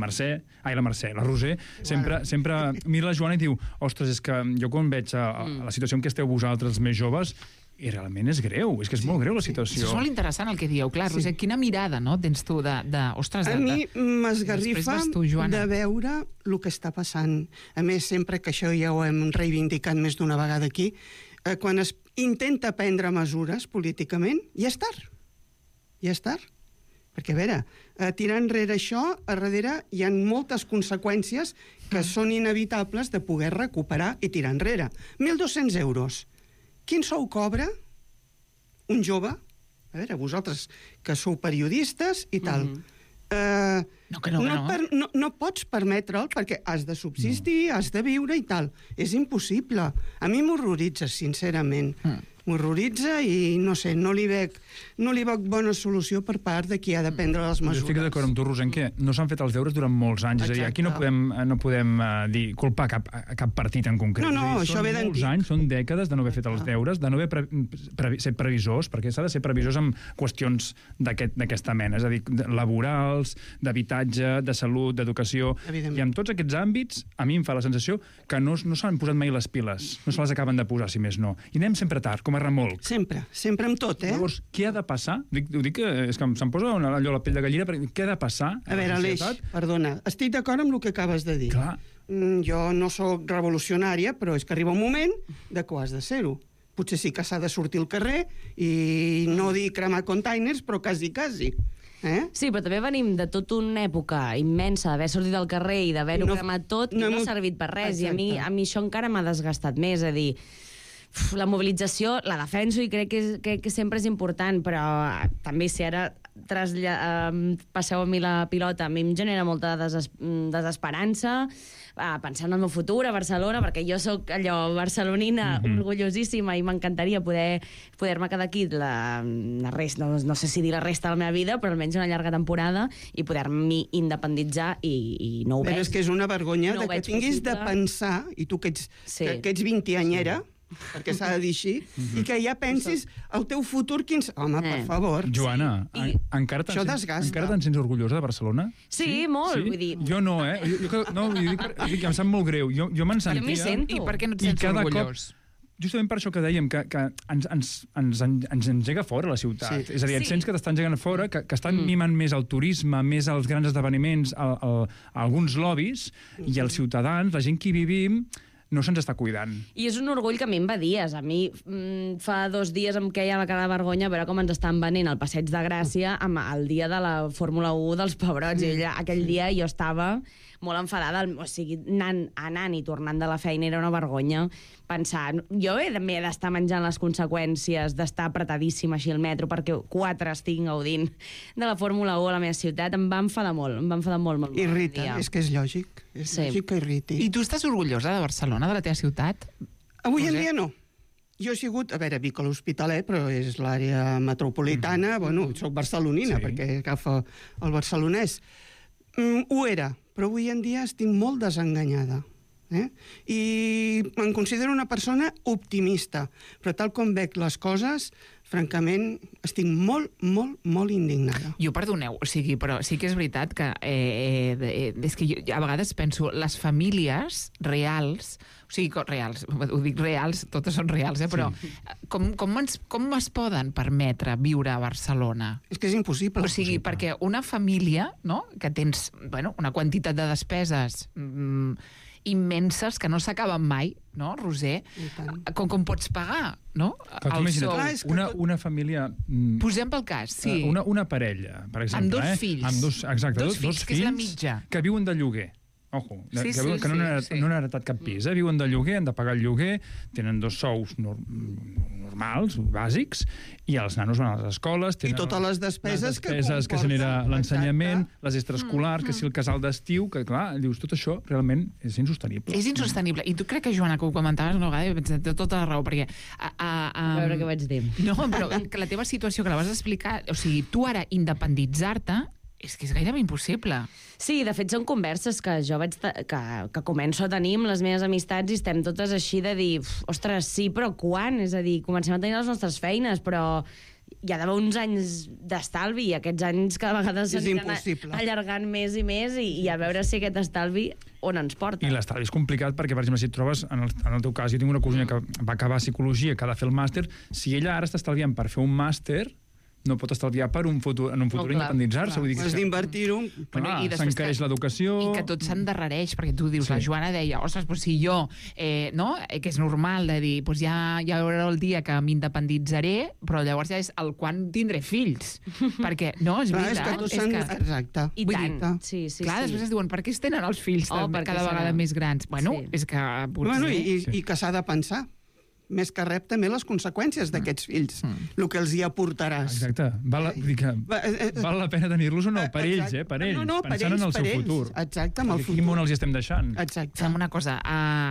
S10: Roser, sempre mira la Joana i diu, ostres, és que jo quan veig la situació en què esteu vosaltres, els més joves, i realment és greu, és que és molt greu la situació.
S2: És molt interessant el que dieu, clar, Roser, quina mirada tens tu ostres...
S8: A mi m'esgarrifa de veure el que està passant. A més, sempre que això ja ho hem reivindicat més d'una vegada aquí, quan es intenta prendre mesures políticament, ja és tard. Ja és tard. Perquè, a veure, tirar enrere això, a darrere hi ha moltes conseqüències que són inevitables de poder recuperar i tirar enrere. 1.200 euros. Quin sou cobra un jove? A veure, vosaltres que sou periodistes i tal. No pots permetre'l perquè has de subsistir, has de viure i tal. És impossible. A mi m'horroritza, sincerament. M'horroritza i, no sé, no li veig bona solució per part de qui ha de prendre les mesures.
S10: Jo estic d'acord amb tu, Roser, que no s'han fet els deures durant molts anys. És a dir, aquí no podem culpar cap partit en concret.
S8: No, això ve d'antic.
S10: Són molts anys, són dècades de no haver fet els deures, de no haver set previsors, perquè s'ha de ser previsors amb qüestions d'aquesta mena, és a dir, laborals, d'habitatge, de salut, d'educació. I en tots aquests àmbits, a mi em fa la sensació que no s'han posat mai les piles, no se les acaben de posar, si més no. I anem sempre tard, com a remolc.
S8: Sempre amb tot,
S10: Llavors, què ha de passar? Ho dic que és que se'm posa allò la pell de gallina, perquè què ha de passar?
S8: A veure, Aleix, perdona, estic d'acord amb el que acabes de dir.
S10: Clar.
S8: Jo no sóc revolucionària, però és que arriba un moment de que ho has de ser-ho. Potser sí que s'ha de sortir al carrer i no dir cremar containers, però quasi.
S9: Sí, però també venim de tota una època immensa d'haver sortit al carrer i d'haver-ho cremat tot i no ha servit per res. I a mi això encara m'ha desgastat més, a dir, la mobilització la defenso i crec que sempre és important, però també si ara passeu a mi la pilota, a mi em genera molta desesperança pensant en el meu futur a Barcelona, perquè jo sóc allò barcelonina, orgullosíssima, i m'encantaria poder-me quedar aquí la resta, no sé si dir la resta de la meva vida, però almenys una llarga temporada i poder-m'hi independitzar i no ho veig.
S8: Però és que és una vergonya que tinguis de pensar, i tu que ets 20anyera, perquè s'ha de dir així, i que ja pensis el teu futur, Home, per favor.
S10: Joana, encara te'n sents orgullosa de Barcelona?
S9: Sí, molt, vull dir...
S10: Jo no, em sap molt greu. Jo me'n sentia...
S9: Jo m'hi sento.
S2: I per què no et sents orgullós?
S10: Justament per això que dèiem, que ens engega fora la ciutat. És a dir, et sents que t'estan engegant fora, que estan mimant més el turisme, més els grans esdeveniments, alguns lobbies, i els ciutadans, la gent que hi vivim, no se'ns està cuidant.
S9: I és un orgull que a mi em va dies. A mi fa 2 dies em queia la cara de vergonya a veure com ens estan venent al Passeig de Gràcia el dia de la Fórmula 1 dels pebrots. I aquell dia jo estava molt enfadada, o sigui, anant i tornant de la feina era una vergonya pensar, jo també he d'estar menjant les conseqüències d'estar apretadíssima així al metro perquè 4 estic gaudint de la Fórmula 1 a la meva ciutat. Em va enfadar molt.
S8: Irrita, és que és lògic. És lògic que irriti.
S2: I tu estàs orgullosa de Barcelona, de la teva ciutat?
S8: Avui en dia no. Jo he sigut, a veure, Vic a l'Hospitalet, però és l'àrea metropolitana, bueno, soc barcelonina, perquè agafa el barcelonès. Ho era, però avui en dia estic molt desenganyada. I em considero una persona optimista, però tal com veig les coses, francament, estic molt indignada.
S2: Jo, perdoneu, o sigui, però sí que és veritat que és que jo a vegades penso, les famílies reals, o sigui, reals, ho dic reals, totes són reals, però com es poden permetre viure a Barcelona?
S8: És que és impossible.
S2: O sigui, perquè una família, no?, que tens, bueno, una quantitat de despeses immenses que no s'acaben mai, no, Roser? Com pots pagar, no?
S10: El sou. Una família...
S2: Posem pel cas, sí.
S10: Una parella, per exemple.
S2: Amb 2 fills.
S10: Exacte,
S2: 2 fills, que és la mitja.
S10: Que viuen de lloguer. Ojo, que no han heretat cap pis, viuen de lloguer, han de pagar el lloguer, tenen 2 sous normals, bàsics, i els nanos van a les escoles...
S8: I totes les despeses
S10: que genera l'ensenyament, les extraescolars, que si el casal d'estiu, que clar, dius, tot això realment és insostenible.
S2: És insostenible. I tu crec que, Joana, que ho comentaves una vegada, he pensat tota la raó, perquè...
S9: A veure què vaig dir.
S2: No, però que la teva situació, que la vas explicar, o sigui, tu ara independitzar-te, és que és gairebé impossible.
S9: Sí, de fet són converses que jo que començo a tenir amb les meves amistats i estem totes així de dir, ostres, sí, però quan? És a dir, comencem a tenir les nostres feines, però hi ha d'haver uns anys d'estalvi i aquests anys cada vegada s'aniran allargant més i més i a veure si aquest estalvi on ens porta.
S10: I l'estalvi és complicat perquè, per exemple, si et trobes, en el teu cas, jo tinc una cosina que va acabar psicologia, que ha de fer el màster, si ella ara està estalviant per fer un màster, no pot estalviar per en un futur independitzar-se.
S8: Has d'invertir-ho.
S10: S'encareix l'educació...
S2: I que tot s'endarrereix, perquè tu dius, la Joana deia, ostres, si jo, que és normal de dir, ja hi haurà el dia que m'independitzaré, però llavors ja és el quan tindré fills. Perquè, no, és veritat.
S8: Exacte.
S9: I tant.
S2: Clar, després es diuen, per què es tenen els fills cada vegada més grans? Bueno, és que...
S8: I que s'ha de pensar. Més que rep també les conseqüències d'aquests fills, el que els hi aportaràs.
S10: Exacte. Val la pena tenir-los o no? Per ells, per ells, pensant en el seu futur.
S8: Exacte, amb el futur.
S10: Quin món els hi estem deixant?
S8: Exacte.
S2: Fem una cosa,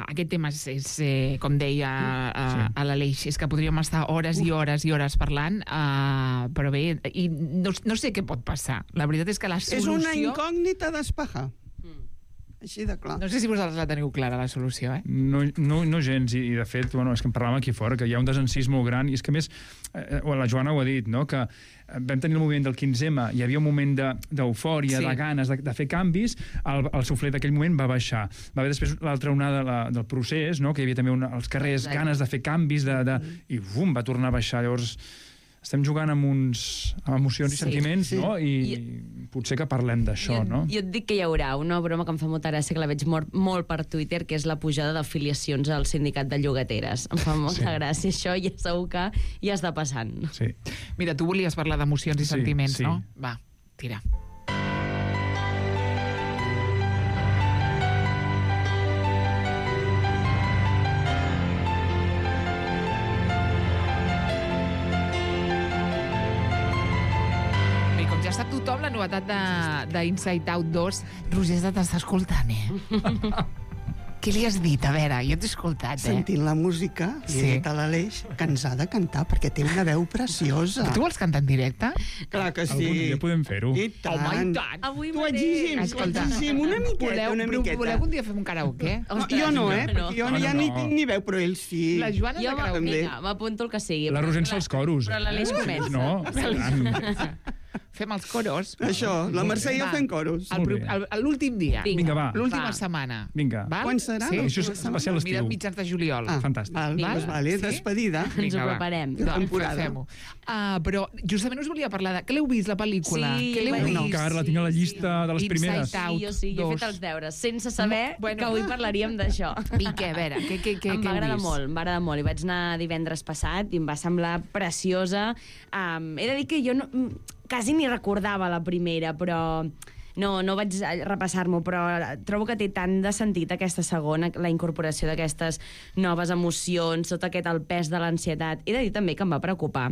S2: aquest tema és com deia a l'Aleix, és que podríem estar hores i hores i hores parlant, però bé, i no sé què pot passar. La veritat és que la solució...
S8: És una incògnita d'espajar. Així de clar.
S2: No sé si vosaltres la teniu clara, la solució,
S10: No gens, i de fet, és que en parlàvem aquí fora, que hi ha un desencís molt gran, i és que més, la Joana ho ha dit, no?, que vam tenir el moviment del 15M, hi havia un moment d'eufòria, de ganes de fer canvis, el suflet d'aquell moment va baixar. Va haver després l'altra onada del procés, no?, que hi havia també als carrers ganes de fer canvis, i bum, va tornar a baixar. Llavors, estem jugant amb emocions i sentiments, no? I potser que parlem d'això, no?
S9: Jo et dic que hi haurà una broma que em fa molta gràcia, que la veig molt per Twitter, que és la pujada d'afiliacions al sindicat de llogateres. Em fa molta gràcia això, i segur que ja està passant.
S10: Sí.
S2: Mira, tu volies parlar d'emocions i sentiments, no? Va, tira. Tothom, la novetat d'Inside Out 2, Roger t'està escoltant, Què li has dit? A veure, jo t'he escoltat,
S8: Sentint la música, li he dit a l'Aleix que ens ha de cantar, perquè té una veu preciosa.
S2: Tu vols cantar en directe?
S8: Clar que sí.
S10: Algun dia podem fer-ho.
S8: I tant.
S2: Home, i tant.
S9: Avui
S8: t'ho exigim, una miqueta.
S2: Voleu algun dia fer un karaoke?
S8: Jo no, perquè jo ja ni tinc ni veu, però ell sí.
S2: La Joana de karaoke.
S9: Vinga, m'apunto el que sigui.
S10: La Roser fa els coros.
S9: Però l'Aleix comença.
S10: No,
S2: Fem els coros.
S8: Això, la Mercè i jo fent coros.
S2: L'últim dia.
S10: Vinga, va.
S2: L'última setmana.
S10: Vinga.
S8: Quan serà?
S10: Sí, això és especial estiu.
S2: Mira, mitjans de juliol.
S10: Fantàstic.
S8: Vale, despedida.
S9: Ens ho preparem.
S2: Fem-ho. Però justament us volia parlar de... Que l'heu vist, la pel·lícula?
S9: Sí,
S10: encara la tinc a la llista de les primeres.
S9: Sí, jo he fet els deures, sense saber que avui parlaríem d'això.
S2: I què, a veure, què
S9: em va agradar molt. Hi vaig anar divendres passat i em va semblar preciosa. He de dir que jo quasi ni recordava la primera, però no vaig repassar-m'ho, però trobo que té tant de sentit aquesta segona, la incorporació d'aquestes noves emocions, tot el pes de l'ansietat. He de dir també que em va preocupar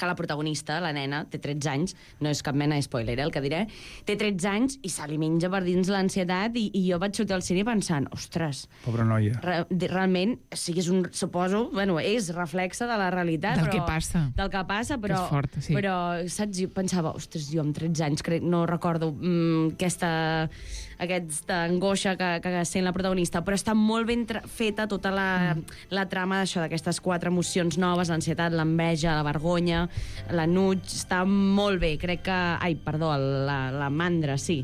S9: que la protagonista, la nena, té 13 anys, no és cap mena de spoiler, el que diré, té 13 anys i se li menja per dins l'ansietat i jo vaig sortir al cine pensant, ostres...
S10: Pobra noia.
S9: Realment, sí que és és reflexe de la realitat.
S2: Del que passa.
S9: Del que passa, però...
S2: És fort, sí.
S9: Però, saps, jo pensava, ostres, jo amb 13 anys no recordo aquesta angoixa que sent la protagonista, però està molt ben feta tota la trama d'aquestes 4 emocions noves, l'ansietat, l'enveja, la vergonya, l'enuig, està molt bé, crec que... la mandra, sí.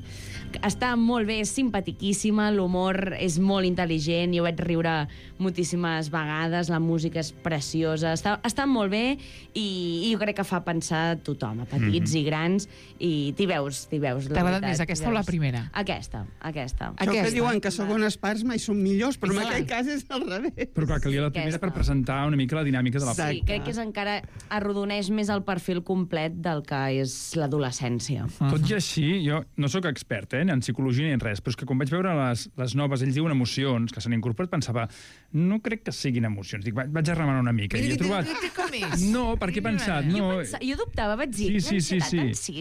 S9: Està molt bé, és simpatiquíssima, l'humor és molt intel·ligent, jo vaig riure moltíssimes vegades, la música és preciosa, està molt bé i jo crec que fa pensar a tothom, a petits i grans, i t'hi veus.
S2: T'ha agradat més aquesta o la primera?
S9: Aquesta.
S8: Això que diuen que segones parts mai són millors, però en aquell cas és al revés.
S10: Però clar, calia la primera per presentar una mica la dinàmica de la pel·lícula.
S9: Sí, crec que és encara arrodoneix més el perfil complet del que és l'adolescència.
S10: Tot i així, jo no sóc expert en psicologia ni en res, però és que quan vaig veure les noves, ells diuen emocions, que s'han incorporat, pensava, no crec que siguin emocions. Dic, vaig a remenar una mica. I he trobat... No, perquè he pensat...
S9: Jo dubtava, vaig dir, sí,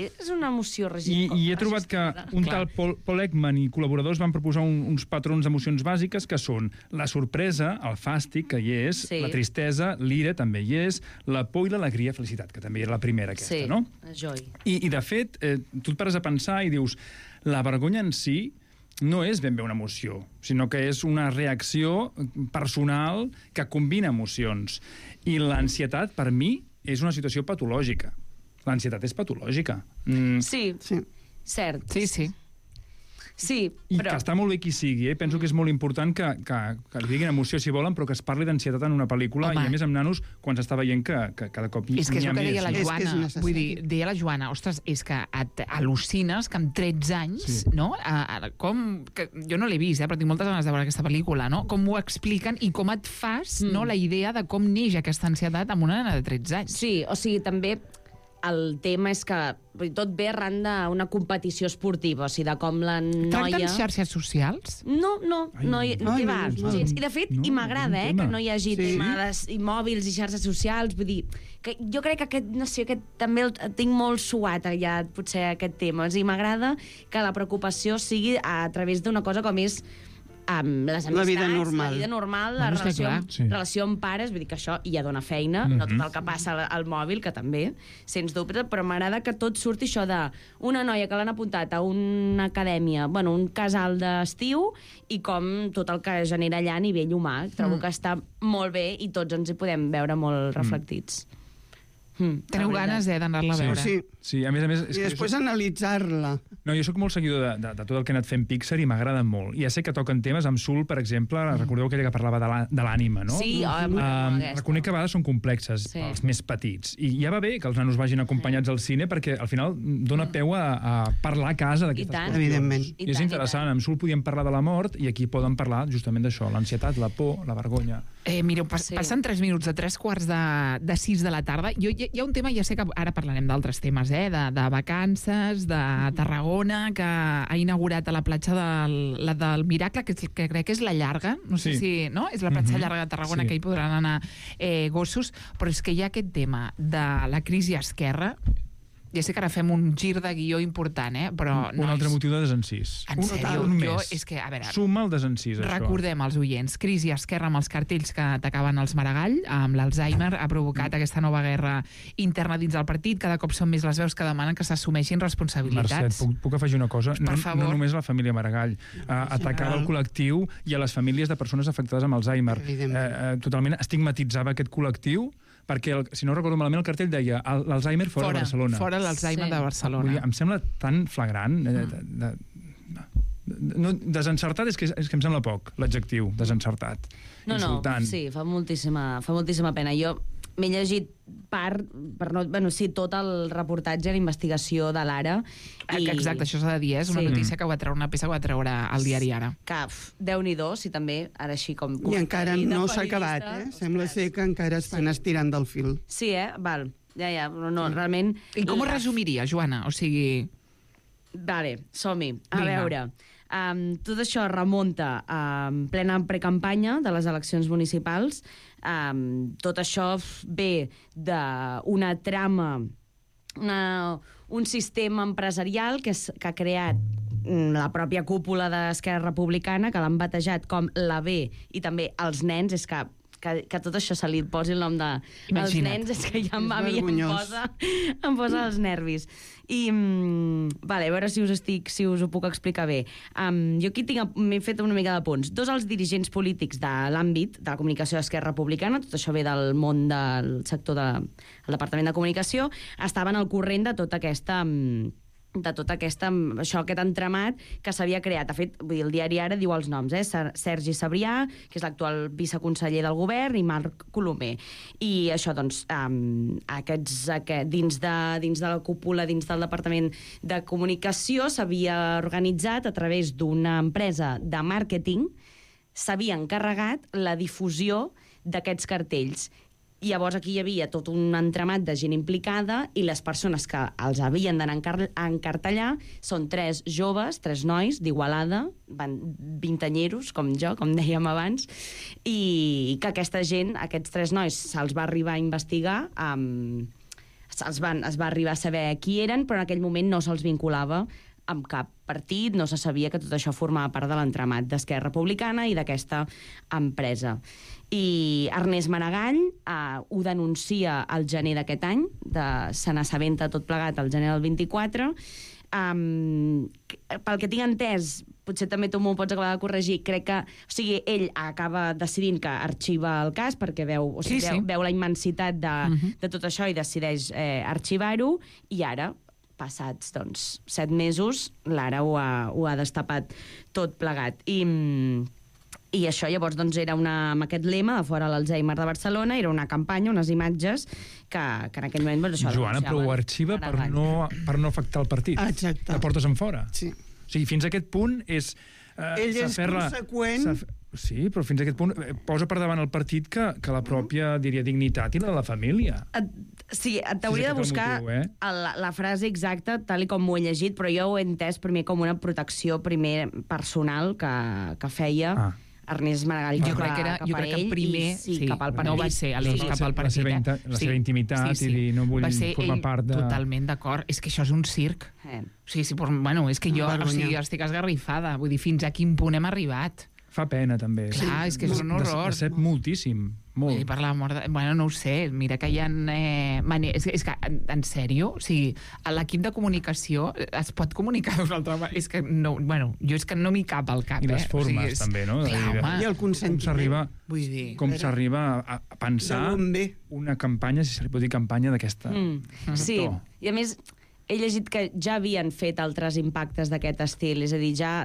S9: és una emoció regida.
S10: I he trobat que un tal Paul Ekman i col·laboradors van proposar uns patrons d'emocions bàsiques que són la sorpresa, el fàstic, que hi és, la tristesa, l'ira, també hi és, la por i l'alegria, felicitat, que també era la primera aquesta, no?
S9: Sí, joy.
S10: I de fet, tu et pares a pensar i dius, la vergonya en si no és ben bé una emoció, sinó que és una reacció personal que combina emocions. I l'ansietat, per mi, és una situació patològica. L'ansietat és patològica.
S9: Sí, cert.
S2: Sí.
S9: Sí,
S10: I
S9: però...
S10: que està molt bé qui sigui, Penso que és molt important que li diguin emoció si volen, però que es parli d'ansietat en una pel·lícula, i a més amb nanos, quan s'està veient que cada cop hi ha més.
S2: És que és el que deia la Joana. Vull dir, deia la Joana, ostres, és que al·lucines que amb 13 anys, no? Jo no l'he vist, però tinc moltes ganes de veure aquesta pel·lícula, no? Com ho expliquen i com et fas la idea de com neix aquesta ansietat amb una nena de 13 anys.
S9: Sí, o sigui, també... El tema és que tot ve arran d'una competició esportiva, o sigui, de com la noia...
S2: Tracten xarxes socials?
S9: No, I de fet, i m'agrada, que no hi hagi tema de mòbils i xarxes socials, vull dir, que jo crec que aquest també el tinc molt suat, ja, potser, aquest tema, i m'agrada que la preocupació sigui a través d'una cosa com és amb les amistats, la vida normal, la relació amb pares, vull dir que això ja dona feina, no tot el que passa al mòbil, que també, sens dubte, però m'agrada que tot surti això d'una noia que l'han apuntat a una acadèmia, un casal d'estiu, i com tot el que genera allà a nivell humà. Trobo que està molt bé i tots ens hi podem veure molt reflectits.
S2: Teniu ganes d'anar-la a veure.
S10: Sí, a més...
S8: I després analitzar-la.
S10: No, jo sóc molt seguidor de tot el que ha anat fent Pixar i m'agrada molt. I ja sé que toquen temes amb Soul, per exemple, recordeu aquella que parlava de l'ànima, no?
S9: Sí,
S10: reconec que a vegades són complexes, els més petits. I ja va bé que els nanos vagin acompanyats al cine perquè al final dona peu a parlar a casa d'aquestes qüestions.
S8: Evidentment.
S10: I és interessant, amb Soul podíem parlar de la mort i aquí poden parlar justament d'això, l'ansietat, la por, la vergonya.
S2: Mireu, passen 3 minuts de 3:45 de la tarda. Hi ha un tema, ja sé que ara parlarem d'altres temes, de vacances, de Tarragona, que ha inaugurat a la platja del Miracle, que crec que és la Llarga, no sé si... no? És la platja llarga de Tarragona, que hi podran anar gossos, però és que hi ha aquest tema de la crisi a Esquerra. Ja sé que ara fem un gir de guió important, però...
S10: Un altre motiu de desencís.
S2: En sèrio, és que, a veure...
S10: Suma el desencís, això.
S2: Recordem als oients, crisi a Esquerra amb els cartells que atacaven els Maragall, amb l'Alzheimer, ha provocat aquesta nova guerra interna dins del partit. Cada cop són més les veus que demanen que s'assumeixin responsabilitats.
S10: Mercè, puc afegir una cosa?
S2: Per favor.
S10: No només la família Maragall. Atacava el col·lectiu i a les famílies de persones afectades amb Alzheimer. Totalment estigmatitzava aquest col·lectiu perquè, si no recordo malament, el cartell deia l'Alzheimer fora de Barcelona.
S2: Fora l'Alzheimer de Barcelona.
S10: Em sembla tan flagrant... Desencertat és que em sembla poc, l'adjectiu, desencertat. Insultant.
S9: Sí, fa moltíssima pena. Jo m'he llegit tot el reportatge, la investigació de l'Ara.
S2: Exacte, això s'ha de dir, és una notícia que va treure, una peça que va treure al diari Ara.
S9: Que, Déu-n'hi-do, si també, ara així com...
S8: I encara no s'ha acabat, Sembla ser que encara estan estirant del fil.
S9: Sí, val. Ja, però no, realment...
S2: I com ho resumiria, Joana? O sigui...
S9: Vale, som-hi. A veure... tot això remunta en plena precampanya de les eleccions municipals. Tot això ve d'una trama, un sistema empresarial que ha creat la pròpia cúpula d'Esquerra Republicana, que l'han batejat com la B, i també els nens. És que tot això se li posi el nom de... Els nens, és que ja a mi em posa els nervis. I, a veure si us ho puc explicar bé. Jo aquí m'he fet una mica de punts. Dos els dirigents polítics de l'àmbit de la comunicació d'Esquerra Republicana, tot això ve del món del sector del Departament de Comunicació, estaven al corrent de tota aquesta... aquest entramat que s'havia creat. De fet, el diari Ara diu els noms, Sergi Sabrià, que és l'actual viceconseller del govern, i Marc Colomer. I això, doncs, dins de la cúpula, dins del Departament de Comunicació, s'havia organitzat a través d'una empresa de màrqueting, s'havia encarregat la difusió d'aquests cartells. I llavors aquí hi havia tot un entramat de gent implicada i les persones que els havien d'anar a encartellar són 3 joves, 3 nois d'Igualada, vintanyeros, com jo, com dèiem abans, i que aquesta gent, aquests 3 nois, se'ls va arribar a investigar, es va arribar a saber qui eren, però en aquell moment no se'ls vinculava amb cap partit, no se sabia que tot això formava part de l'entramat d'Esquerra Republicana i d'aquesta empresa. I Ernest Maragall ho denuncia al gener d'aquest any, se n'assabenta tot plegat al gener del 24. Pel que tinc entès, potser també tu m'ho pots acabar de corregir, crec que, ell acaba decidint que arxiva el cas perquè veu la immensitat de tot això i decideix arxivar-ho, i ara, passats 7 mesos, l'Ara ho ha destapat tot plegat. I això llavors era amb aquest lema de fora l'Alzheimer de Barcelona, era una campanya, unes imatges que en aquell moment...
S10: Joana, però ho arxiva per no afectar el partit.
S8: Exacte.
S10: La portes enfora.
S8: Sí.
S10: O sigui, fins a aquest punt és...
S8: Ell és conseqüent...
S10: Sí, però fins a aquest punt posa per davant el partit que la pròpia, diria, dignitat i la de la família.
S9: Sí, t'hauria de buscar la frase exacta, tal com m'ho he llegit, però jo ho he entès primer com una protecció personal que feia Ernest Maragall
S2: jo crec que primer cap al partit. No va ser cap al partit.
S10: La seva intimitat i dir no vull formar part de...
S2: Totalment d'acord. És que això és un circ. És que jo estic esgarrifada. Vull dir, fins a quin punt hem arribat?
S10: Fa pena, també.
S2: Clar, és que és un horror.
S10: Decep moltíssim. Molt.
S2: Per la mort no ho sé. Mira que hi ha... És que, en sèrio, o sigui, l'equip de comunicació es pot comunicar d'una altra manera. És que no... jo és que no m'hi cap al cap.
S10: I les formes, també, no?
S8: I el consentiment.
S10: Com s'arriba a pensar una campanya, si se li pot dir campanya d'aquesta...
S9: Sí, i a més, he llegit que ja havien fet altres impactes d'aquest estil, és a dir, ja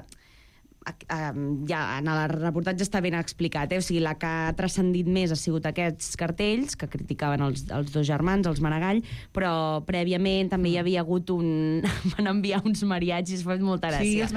S9: en el reportatge està ben explicat, o sigui, la que ha transcendit més ha sigut aquests cartells que criticaven els 2 germans, els Maragall, però prèviament també hi havia hagut van enviar uns mariachis, fa molta gràcia.
S2: Sí, els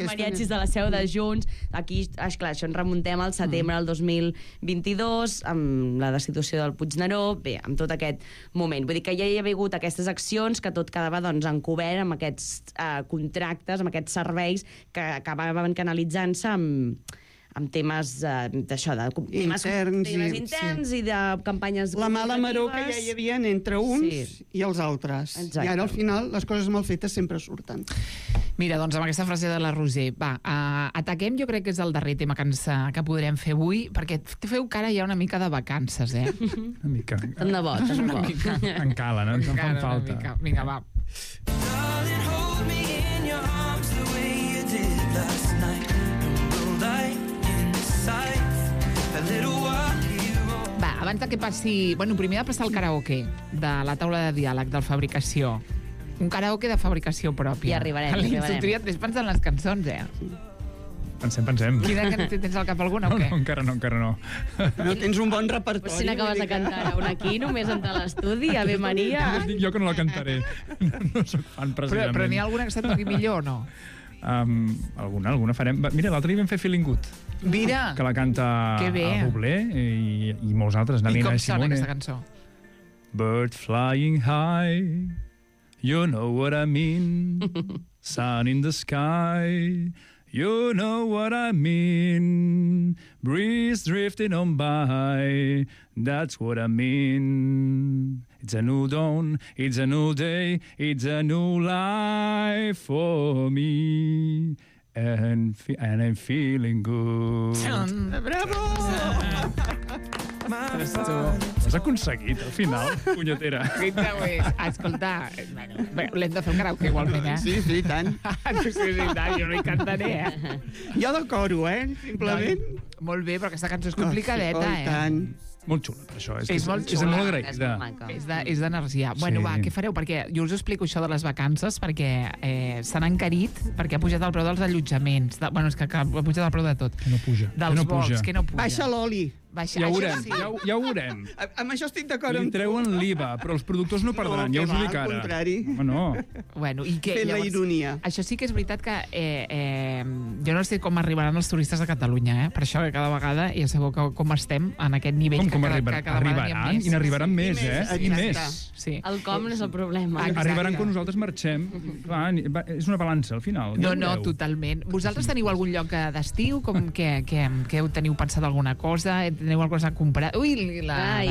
S9: mariachis de la seu de Junts. Aquí, esclar, això ens remuntem al setembre del 2022, amb la destitució del Puigneró, bé, amb tot aquest moment. Vull dir que ja hi havia hagut aquestes accions que tot quedava encobert amb aquests contractes, amb aquests serveis que acabaven canalitzant-se amb temes d'això, temes interns i de campanyes
S8: la mala maror que ja hi havia entre uns i els altres. Exacte. I ara al final les coses mal fetes sempre surten.
S2: Mira, doncs amb aquesta frase de la Roser, ataquem, jo crec que és el darrer tema que podrem fer avui, perquè feu cara ja una mica de vacances,
S10: Una mica.
S9: Tant de bo, tant de bo.
S10: En cala, no? En fan falta.
S2: Vinga, va. abans de que passi... Bueno, primer de passar el karaoke de la taula de diàleg, del Fabricació. Un karaoke de fabricació pròpia.
S9: I arribarem.
S2: Ves pensant en les cançons,
S10: Pensem.
S2: Quina tens al cap alguna o què?
S10: No, encara no.
S8: No tens un bon repertori.
S9: Si n'acabes de cantar una aquí, només entrar a l'estudi, Ave Maria.
S10: Dic jo que no la cantaré. No soc fan, precisament.
S2: Però n'hi ha alguna que se't toqui millor o no?
S10: Alguna farem. Mira, l'altre dia vam fer Feeling Good.
S2: Mira!
S10: Que la canta Bublé i molts altres.
S2: I com sona aquesta cançó?
S10: Bird flying high, you know what I mean. Sun in the sky, you know what I mean. Breeze drifting on by, that's what I mean. It's a new dawn, it's a new day, it's a new life for me. And I'm feeling good.
S2: Bravo!
S10: Has aconseguit, al final, punyetera.
S2: Escolta, l'hem de fer un karaoke igualment,
S8: Sí, tant.
S2: Jo no hi cantaré,
S8: Jo de coro, simplement.
S2: Molt bé, però aquesta cançó és complicadeta,
S8: I tant.
S10: Molt xula, per això.
S2: És molt xula.
S10: És molt agraïda.
S2: És d'energia. Bueno, va, què fareu? Perquè jo us explico això de les vacances, perquè s'han encarit, perquè ha pujat el preu dels allotjaments. Bueno, és que ha pujat el preu de tot.
S10: Que no puja.
S2: Dels vols, que no puja.
S8: Baixa l'oli.
S10: Ja ho veurem.
S8: Amb això estic d'acord amb
S10: tu. Li treuen l'IVA, però els productors no perdran, ja us ho dic ara.
S8: Al contrari.
S2: Bueno, i què?
S8: Fent la ironia.
S2: Això sí que és veritat que jo no sé com arribaran els turistes de Catalunya, per això que cada vegada ja sabeu com estem en aquest nivell que cada vegada n'hi ha més.
S10: I n'arribaran més, I més.
S9: El com no és el problema.
S10: Arribaran quan nosaltres marxem. Clar, és una balança, al final.
S2: No, totalment. Vosaltres teniu algun lloc d'estiu? Que teniu pensat alguna cosa? Teniu alguna cosa a comprar? Ui, la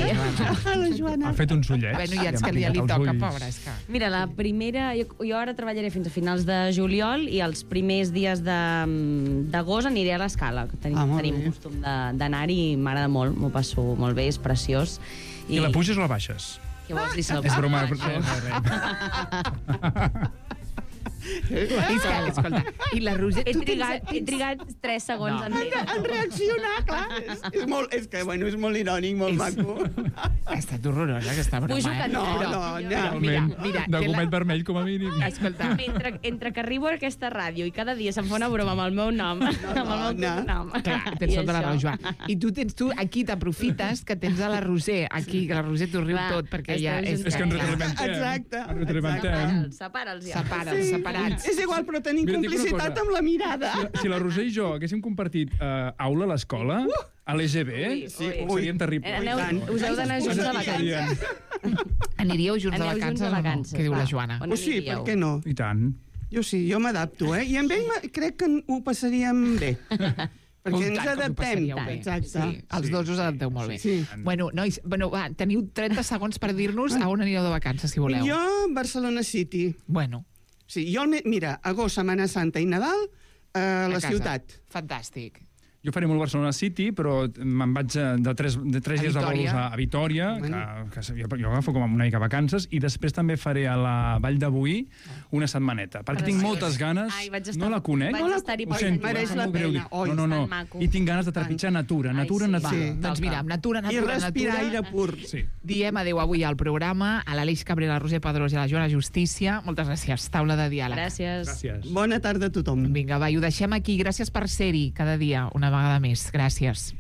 S8: Joana.
S10: Ha fet uns ullets.
S2: Bueno, ja li toca, pobra.
S9: Mira, la primera... Jo ara treballaré fins a finals de juliol i els primers dies d'agost aniré a l'Escala. Tenim costum d'anar-hi i m'agrada molt, m'ho passo molt bé, és preciós.
S10: I la puges o la baixes?
S9: Què vols dir?
S10: És broma.
S2: Escolta, i la Roser...
S9: He trigat 3 segons
S8: en reaccionar, clar. És que, bueno, és molt irònic, molt maco.
S2: Ha estat horrorosa, aquesta broma.
S9: Pujo que
S8: no.
S2: Mira,
S10: de gomet vermell, com a mínim.
S2: Escolta.
S9: Entre que arribo a aquesta ràdio i cada dia se'm fa una broma amb el meu nom, amb el meu nom.
S2: Clar, tens tota la raó, Joan. I tu aquí t'aprofites que tens a la Roser aquí, que la Roser t'ho riu tot, perquè ja...
S10: És que ens retroalimentem.
S9: Separa'ls ja.
S2: Separats.
S8: És igual, però tenim complicitat amb la mirada.
S10: Si la Roser i jo haguéssim compartit aula a l'escola, a l'EGB, seríem terribles.
S9: Us heu d'anar junts de vacances.
S2: Aniríeu junts de vacances, què diu la Joana?
S8: Sí, per què no?
S10: I tant.
S8: Jo sí, jo m'adapto, I amb ell crec que ho passaríem bé. Perquè ens adaptem.
S2: Exacte. Els dos us adapteu molt bé. Bueno, nois, va, teniu 30 segons per dir-nos a on anireu de vacances, si voleu.
S8: Jo, Barcelona City.
S2: Bueno.
S8: Sí, mira, agost, Setmana Santa i Nadal a la ciutat.
S2: Fantàstic.
S10: Jo faré molt Barcelona City, però me'n vaig de 3 dies de vols a Vitòria, que jo agafo com una mica vacances, i després també faré a la Vall de Boí una setmaneta, perquè tinc moltes ganes, no la conec, ho sento,
S8: mereix la pena.
S10: No, i tinc ganes de trepitjar natura.
S2: Doncs mira, amb natura.
S8: I respirar aire pur.
S2: Diem adéu avui al programa, a l'Aleix Cabrera, a la Roser Pedrós i a la Joana Justícia. Moltes gràcies. Taula de diàleg.
S9: Gràcies.
S8: Bona tarda a tothom.
S2: Vinga, va, i ho deixem aquí. Gràcies per ser-hi cada dia, una vegada més. Gràcies.